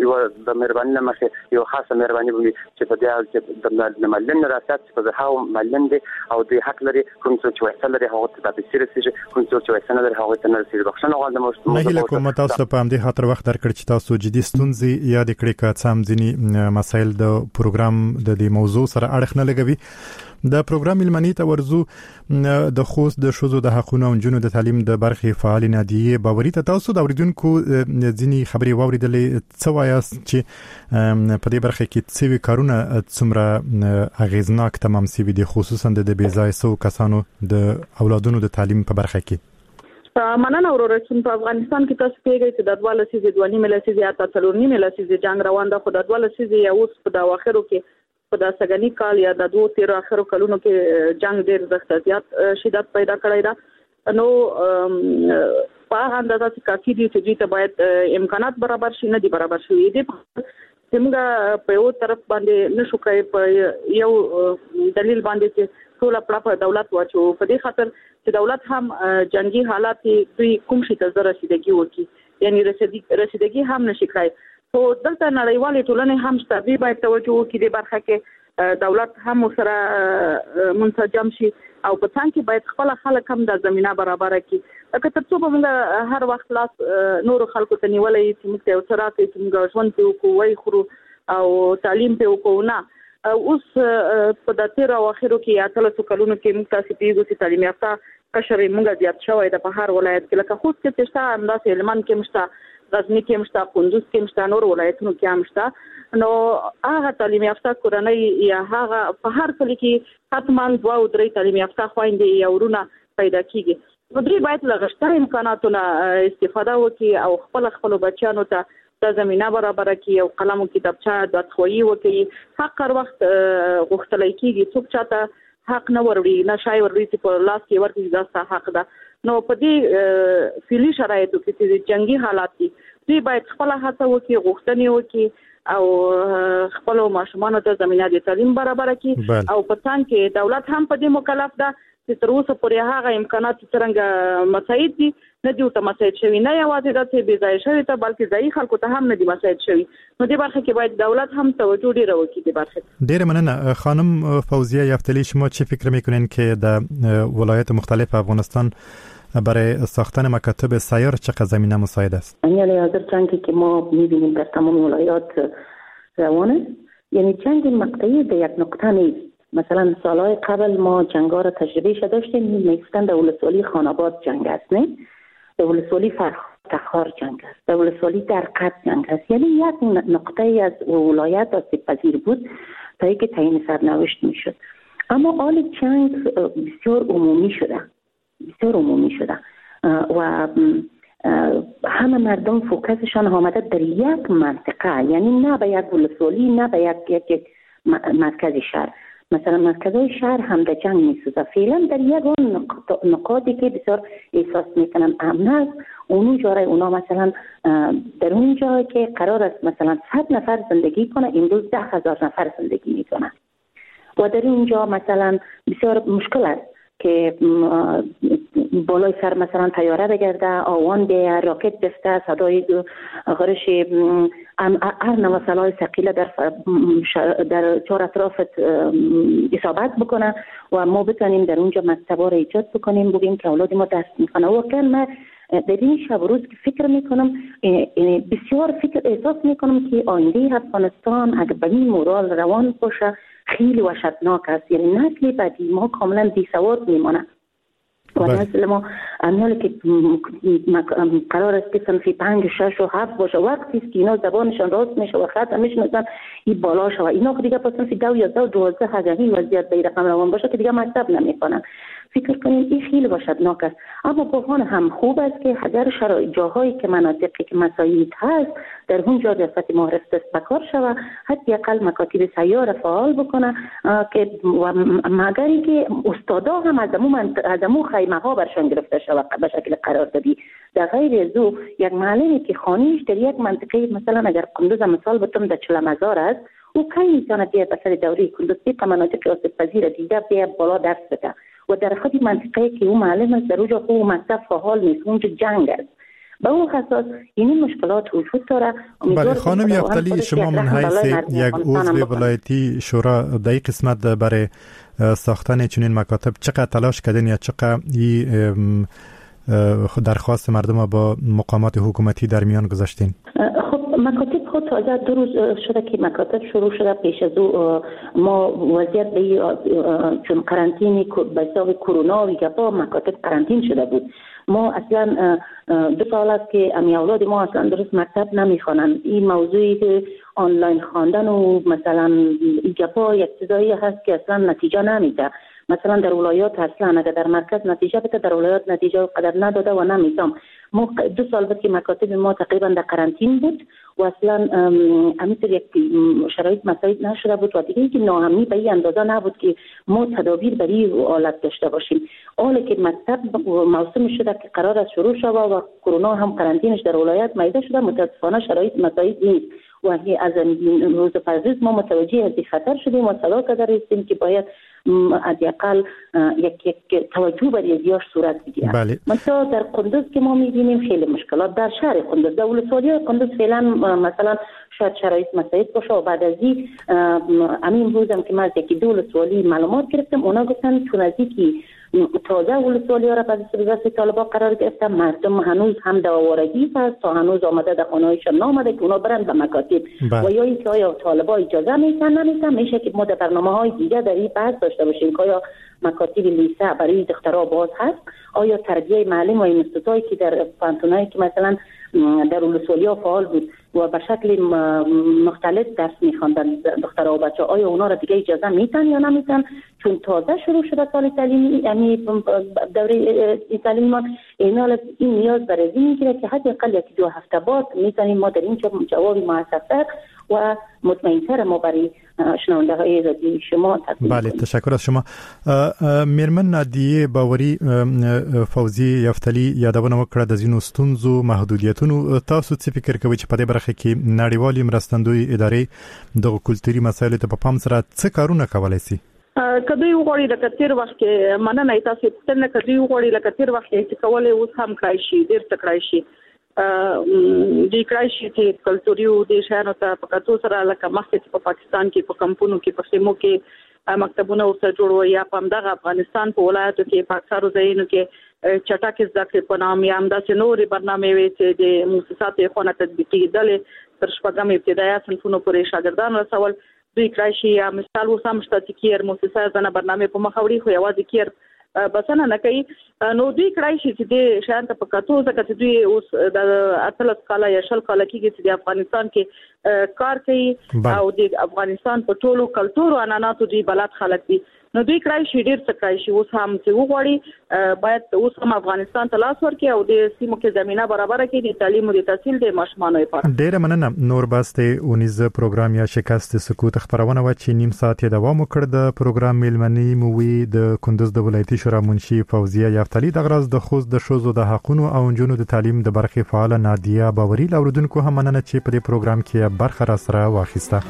U: یوه د مهرباني له مخې یوه خاصه مهرباني به وي چې په دې حال کې د معلولین راسیات چې په زرهاوو معلولین دي او دوی حق لري، کوم څوک چې ویسه لري هغو ته دا پیسې رسېږي، کوم څوک چې ویسه نه لري هغوی ته نه رسېږي. بخښنه غواړم.
P: نه هیله کوم تاسو ته په همدې خاطر وخت درکړ چې تاسو جدي ستونزې یادې کړې، که څه هم ځینې مسایل د پروګرام د دې موضوع سره اړخ نه لګوي. د پروګرام میلمنې ته ورځو، د خوست د ښځو د حقونو او نجونو د تعلیم د برخې فعالې نادیې باوري ته تاسو د اورېدونکو ځینې خبرې واورېدلې، څه وایاست چې په دې برخه کې څه کارونه څومره اغېزناک تمام سوي دي، خصوصا د بې ځایه سوو کسانو د اولادونو د تعلیم په برخه کې؟
Q: مننه وروره. چون په افغانستان کې تاسو پوهیږئ چې د 2 لسیزې، 2.5 لسیزې، حتی 4.5 لسیزې جنگ روان ده، خو د 2 لسیزې یا اوس په د اواخرو کې، په د سږني کال یا د دوو تېرو اخرو کلونو کې جنگ ډېر زښت زیات شدت پیدا کړی ده. نو په هغه اندازه چې کافي دي چې دوی ته باید امکانات برابر شي، نه دي برابر شوي دي. چې موږ په یو طرف باندې نشو کړای په یو دلیل باندې چې ټوله پړه په دولت واچو، په دې خاطر چې دولت هم جنگي حالات دوی کوم شي ته زه رسیدګي وکړي، یعنی رسیدګي هم نشي کړای. خو دلته نړیوالې ټولنې هم شته، دوی باید توجه وکړي دې برخه کې، دولت هم ورسره منسجم شي او په څنګ کې باید خپل خلک هم د زمينه برابره کړي. لکه تر څو به موږ هر وخت لاس نورو خلکو ته نیولی چې موږ ته یو څه راکړي چې موږ ژوند پرې وکړو، ویې خورو او تعلیم پرې وکړو، نه. اوس په د تېرو اواخرو کې یا 18 کلونو کې موږ تاسې پوهېږو چې تعلیم یافته قشر موږ زیات شوی ده په هر ولایت کې، لکه خوست کې چې شته همداسې هلمند کې هم شته، غزني کې هم شته، کندوز کې هم شته، نور ولایتونو کې هم شته. نو هغه تعلیم یافته کورنۍ یا هغه په هر کلي کې حتما 2 او 3 تعلیم یافته خویندې یا ورونه پیدا کیږي. نو دوی باید له غشتر امکاناتو نه استفاده وکړي او خپل خپلو بچیانو ته دا زمینه برابره کړي او قلم او کتابچه دادخواهي وکړي. حق هر وخت غوښتلی کیږي، څوک چاته حق نه وروړي، نه شی وروړي چې په لاس کې ورکړي دا ستا حق ده. نو په دې فعلي شرایطو کې چې جنګي حالات دي، دوی باید خپله هڅه وکړي، غوښتنې وکړي او خپلو ماشومانو ته زمینه د تعلیم برابره کړي. او په څنګ کې دولت هم په دې مکلف ده چې تر اوسه پورې هغه امکانات چې څرنګه مساعد دي نه دي ورته مساعد شوي، نه یوازې دا چې بې ځایه شوي ته بلکې ځایي خلکو ته هم نه دي مساعد شوي. نو دې برخه کې باید دولت هم توجه ډېره وکړي دې برخې.
P: ډېره مننه خانم فوزیه یفتلی. شما چی فکر میکنین که در ولایت مختلف افغانستان برای ساختن مکاتب سیار چقدر زمینه مساعد است؟
R: یعنی حاضر جنگی که ما میبینیم در تمام ولایات روانه، یعنی جنگ مقطعی در یک نقطه نیست. مثلا سالهای قبل ما جنگ‌ها را تجربه شده داشتیم، میگفتن در ولسوالی خانآباد جنگ است، نه در ولسوالی تخار جنگ است، در ولسوالی درقد جنگ است. یعنی یک نقطه از ولایت آسیب پذیر بود تا اینکه تعیین سرنوشت میشد. اما حال جنگ بسیار عمومی شده، بسیار عمومی شده و همه مردم فوکسشان آمده در یک منطقه، یعنی نه به یک ولسوالی، نه به یک مرکز شهر. مثلا مرکزهای شهر هم در جنگ میسوزه. فعلا در یک نقاطی که بسیار احساس میکنن امن است، اونو جای اونا مثلا در اون جایی که قرار است مثلا 100 نفر زندگی کنه، امروز 10,000 نفر زندگی میکنه و در اونجا مثلا بسیار مشکل است که بالای سر مثلا طیاره بگرده، آوان بیه، راکت بفته، صدای غرش هر نوع سلاح ثقیله در چهار اطرافت اصابت بکنه و ما بتانیم در اونجا مکتبا را ایجاد بکنیم، بگیم که اولاد ما درس میکنه. واقعا من در این شب و روز که فکر میکنم، بسیار فکر احساس میکنم که آینده افغانستان اگر به این مورال روان باشه خیلی وحشتناک است. یعنی نسل بعدی ما کاملا بی سواد میمانه و نسل ما امیال که قرار است که صنفی 5 6 و 7 باشه، وقتی است که اینا زبانشان راست میشه و خط میشناسن این بالا شه و اینا دیگه پس صنفی 2 11 12 اگر این وضعیت به رقم روان باشه که دیگه مکتب نمیکنن. فکر کنیم این خیلی وحشتناک است. اما بحران هم خوب است که اگر شرایط جاهایی که مناطقی که مساعد هست در اونجا ریاست معارف دست به کار شود، حداقل مکاتب سیار فعال بکنه که و مگر اینکه استادا هم از امو خیمه ها برشان گرفته شود به شکل قراردادی. در غیر از او یک معلمی که خانیش در یک منطقه، مثلا اگر قندوز مثال بتم در 40,000 است، او کی میتونه بیاد به سر دوره قندوز که مناطق آسیب پذیر دیده بیاد بالا درس بده و در خود منطقه که او معلم است در اونجا خو مکتب فعال نیست، اونجا جنگ است. به اون اساس این مشکلات وجود داره.
P: بله خانم یفتلی، شما من حیث یک عضو ولایتی شورا در این قسمت برای ساختن چنین مکاتب چقدر تلاش کردین یا چقدر این درخواست مردم با مقامات حکومتی در میان گذاشتین؟
R: خب مکاتب خود تازه 2 روز شده که مکاتب شروع شده. پیش از او ما وضعیت به چون قرنطینه به حساب کرونا و گپا مکاتب قرنطین شده بود. ما اصلا 2 سال است که امی اولاد ما اصلا درست مکتب نمیخوانند. این موضوعی که آنلاین خواندن و مثلا این گپا یک چیزایی هست که اصلا نتیجه نمیده. مثلا در ولایات اصلا اگر در مرکز نتیجه بده، در ولایات نتیجه قدر نداده و نمیتام. ما 2 سال بود که مکاتب ما تقریبا در قرنطین بود و اصلا همینطور یک شرایط مساعد نشده بود و دیگه اینکه ناامنی به این اندازه نبود که ما تدابیر برای آلت داشته باشیم. حالا که مکتب موسم شده که قرار است شروع شود و کرونا هم قرنطینش در ولایت میده شده، متاسفانه شرایط مساعد نیست و از روز پس ما متوجه از این خطر شدیم و صدا کرده هستیم که باید حداقل یک توجه برای زیاش صورت بگیره.
P: بله.
R: مثلا در قندوز که ما می‌بینیم خیلی مشکلات در شهر قندوز، در ولسوالی قندوز فعلا مثلا شاید شرایط مساعد باشه و بعد از این همین روزم که من از یکی دو ولسوالی معلومات گرفتم، اونا گفتن چون از اینکه تازه ولسوالی ها را به دست طالبا قرار گرفتن، مردم هنوز هم در آوارگی هست، تا هنوز آمده در خانه‌هایشان نامده که اونا برن به مکاتب. و یا اینکه آیا طالبا اجازه میتن نمیتن، میشه که ما در برنامه‌های دیگه در این بحث داشته باشیم که آیا مکاتب لیسه برای دخترها باز هست، آیا تربیه معلم و اینستیتوتایی که در پانتونایی که مثلا در ولسوالی‌ها فعال بود و به شکل مختلف درس می‌خواندن دخترها و بچه‌ها، آیا اونا را دیگه اجازه میتن یا نمیتن؟ چون تازه شروع شده سال تعلیمی، یعنی دوره تعلیمی ما، این نیاز برای این میگیره که حداقل 1-2 هفته بعد میتونیم ما در اینجا جواب موثق‌تر و مطمئن‌تر ما برای شنونده های رادیوی شما تقدیم.
P: بله، تشکر از شما. میرمن نادیه باوري فوزي یفتلی یادونه وکړه د ځینو ستونزو محدودیتونو. تاسو څه فکر کوئ چې په دې برخه کې نړیوالې مرستندوی ادارې دغه کلتوري مسایلو ته په پام سره څه کارونه کولای شي؟
Q: که دوی وغواړي لکه تیر وخت کې، مننه تاسو پوښتنه، که دوی وغواړي لکه تیر وخت کې چې کولای اوس هم کړای شي، ډېر څه کړای شي. دوی کړای شي چې کلتوري او د شیانو ته په کتو سره لکه مخکې چې په پاکستان کې په کمپونو کې په خیمو کې مکتبونه ورته جوړ وو، یا په همدغه افغانستان په ولایاتو کې په اکثرو ځایونو کې چټکې زده کړې په نام یا همداسې نورې برنامې وې چې د موسساتو یې خونه تطبیقېدلې تر شپږم ابتدایه صنفونو پورې شاګردان رسول. دوی کړای شي، یا مثال اوس هم شته چې کیر موسسه ځنه برنامې په مخه وړي، خو یوازې کیر بسنه نه کوي. نو دوی کړای شي چې دې شیان ته په کتو، ځکه چې دوی اوس د 18 کاله یا 20 کاله کېږي چې د افغانستان کې کار کوي او د افغانستان په ټولو کلتور او عنعناتو دوی بلد خلک دي. نو دوی کړای شي، ډېر څه کړای شي. اوس هم چې وغواړي باید اوس هم افغانستان ته لاس ورکړي او د سیمو کې زمینه برابره کړي د تعلیم او د تحصیل د ماشومانو لپاره.
P: ډېره مننه. نور بس د اونیز پروګرام یا شکست سکوت خپرونه وه چې نیم ساعت یې دوام وکړ. د پروګرام میلمنې مو وي د کندوز د ولایتي شورا منشي فوزیه یفتلی، دغه راز د خوست د ښځو د حقونو او نجونو د تعلیم د برخې فعاله نادیه باوري. له اورېدونکو هم مننه چې په دې پروګرام کې برخه راسره واخیسته.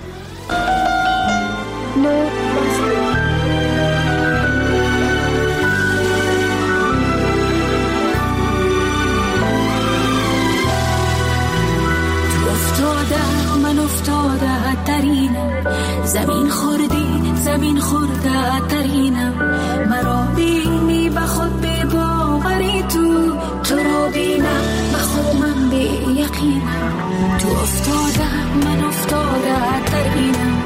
D: زمین خوردی زمین خورده ترینم، مرا بینی به خود بی باوری تو را بینم به خود من بی یقینم، تو افتاده من افتاده ترینم،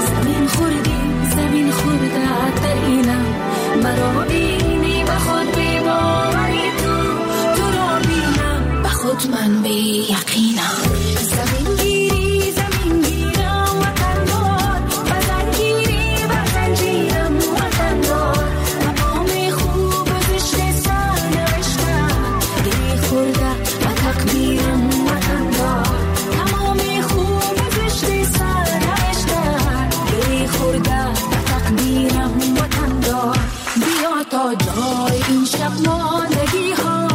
D: زمین خوردی زمین خورده ترینم، مرا بینی به خود بی باوری تو را بینم به خود من بی یقینم. زمین گیری زمین گیرم وطن دار، بزن گیری بزن گیرم وطن دار، مقام خوب زشت سر نوشتم گری خورده و تقدیرم وطن دار، تمام خوب زشت سر نوشتم گری خورده و تقدیرم وطن دار. بیا تا جای این شب ماندگی ها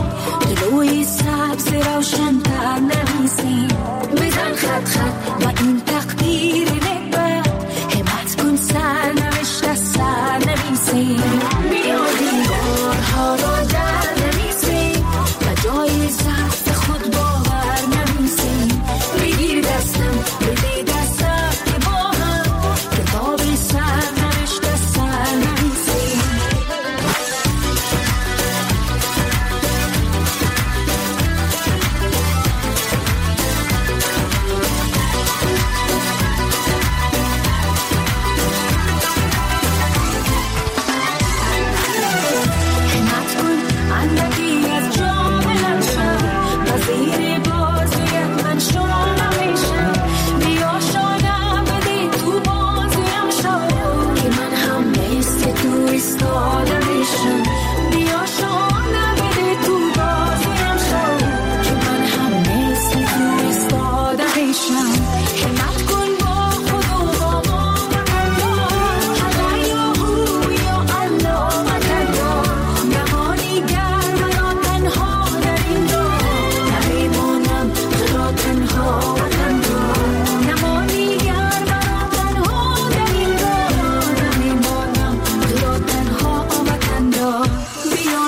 D: جلوی سبز روشن تر نویسیم، بزن خط خط و این تقدیر نکبت، همت کن سر نوشته سر نویسیم، بیا دیوارها را در نویسیم و جای ضعف خود باور نویسیم، بگیر دستم بده دستم که با هم کتاب سر نوشته سر نویسیم.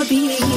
D: بینی.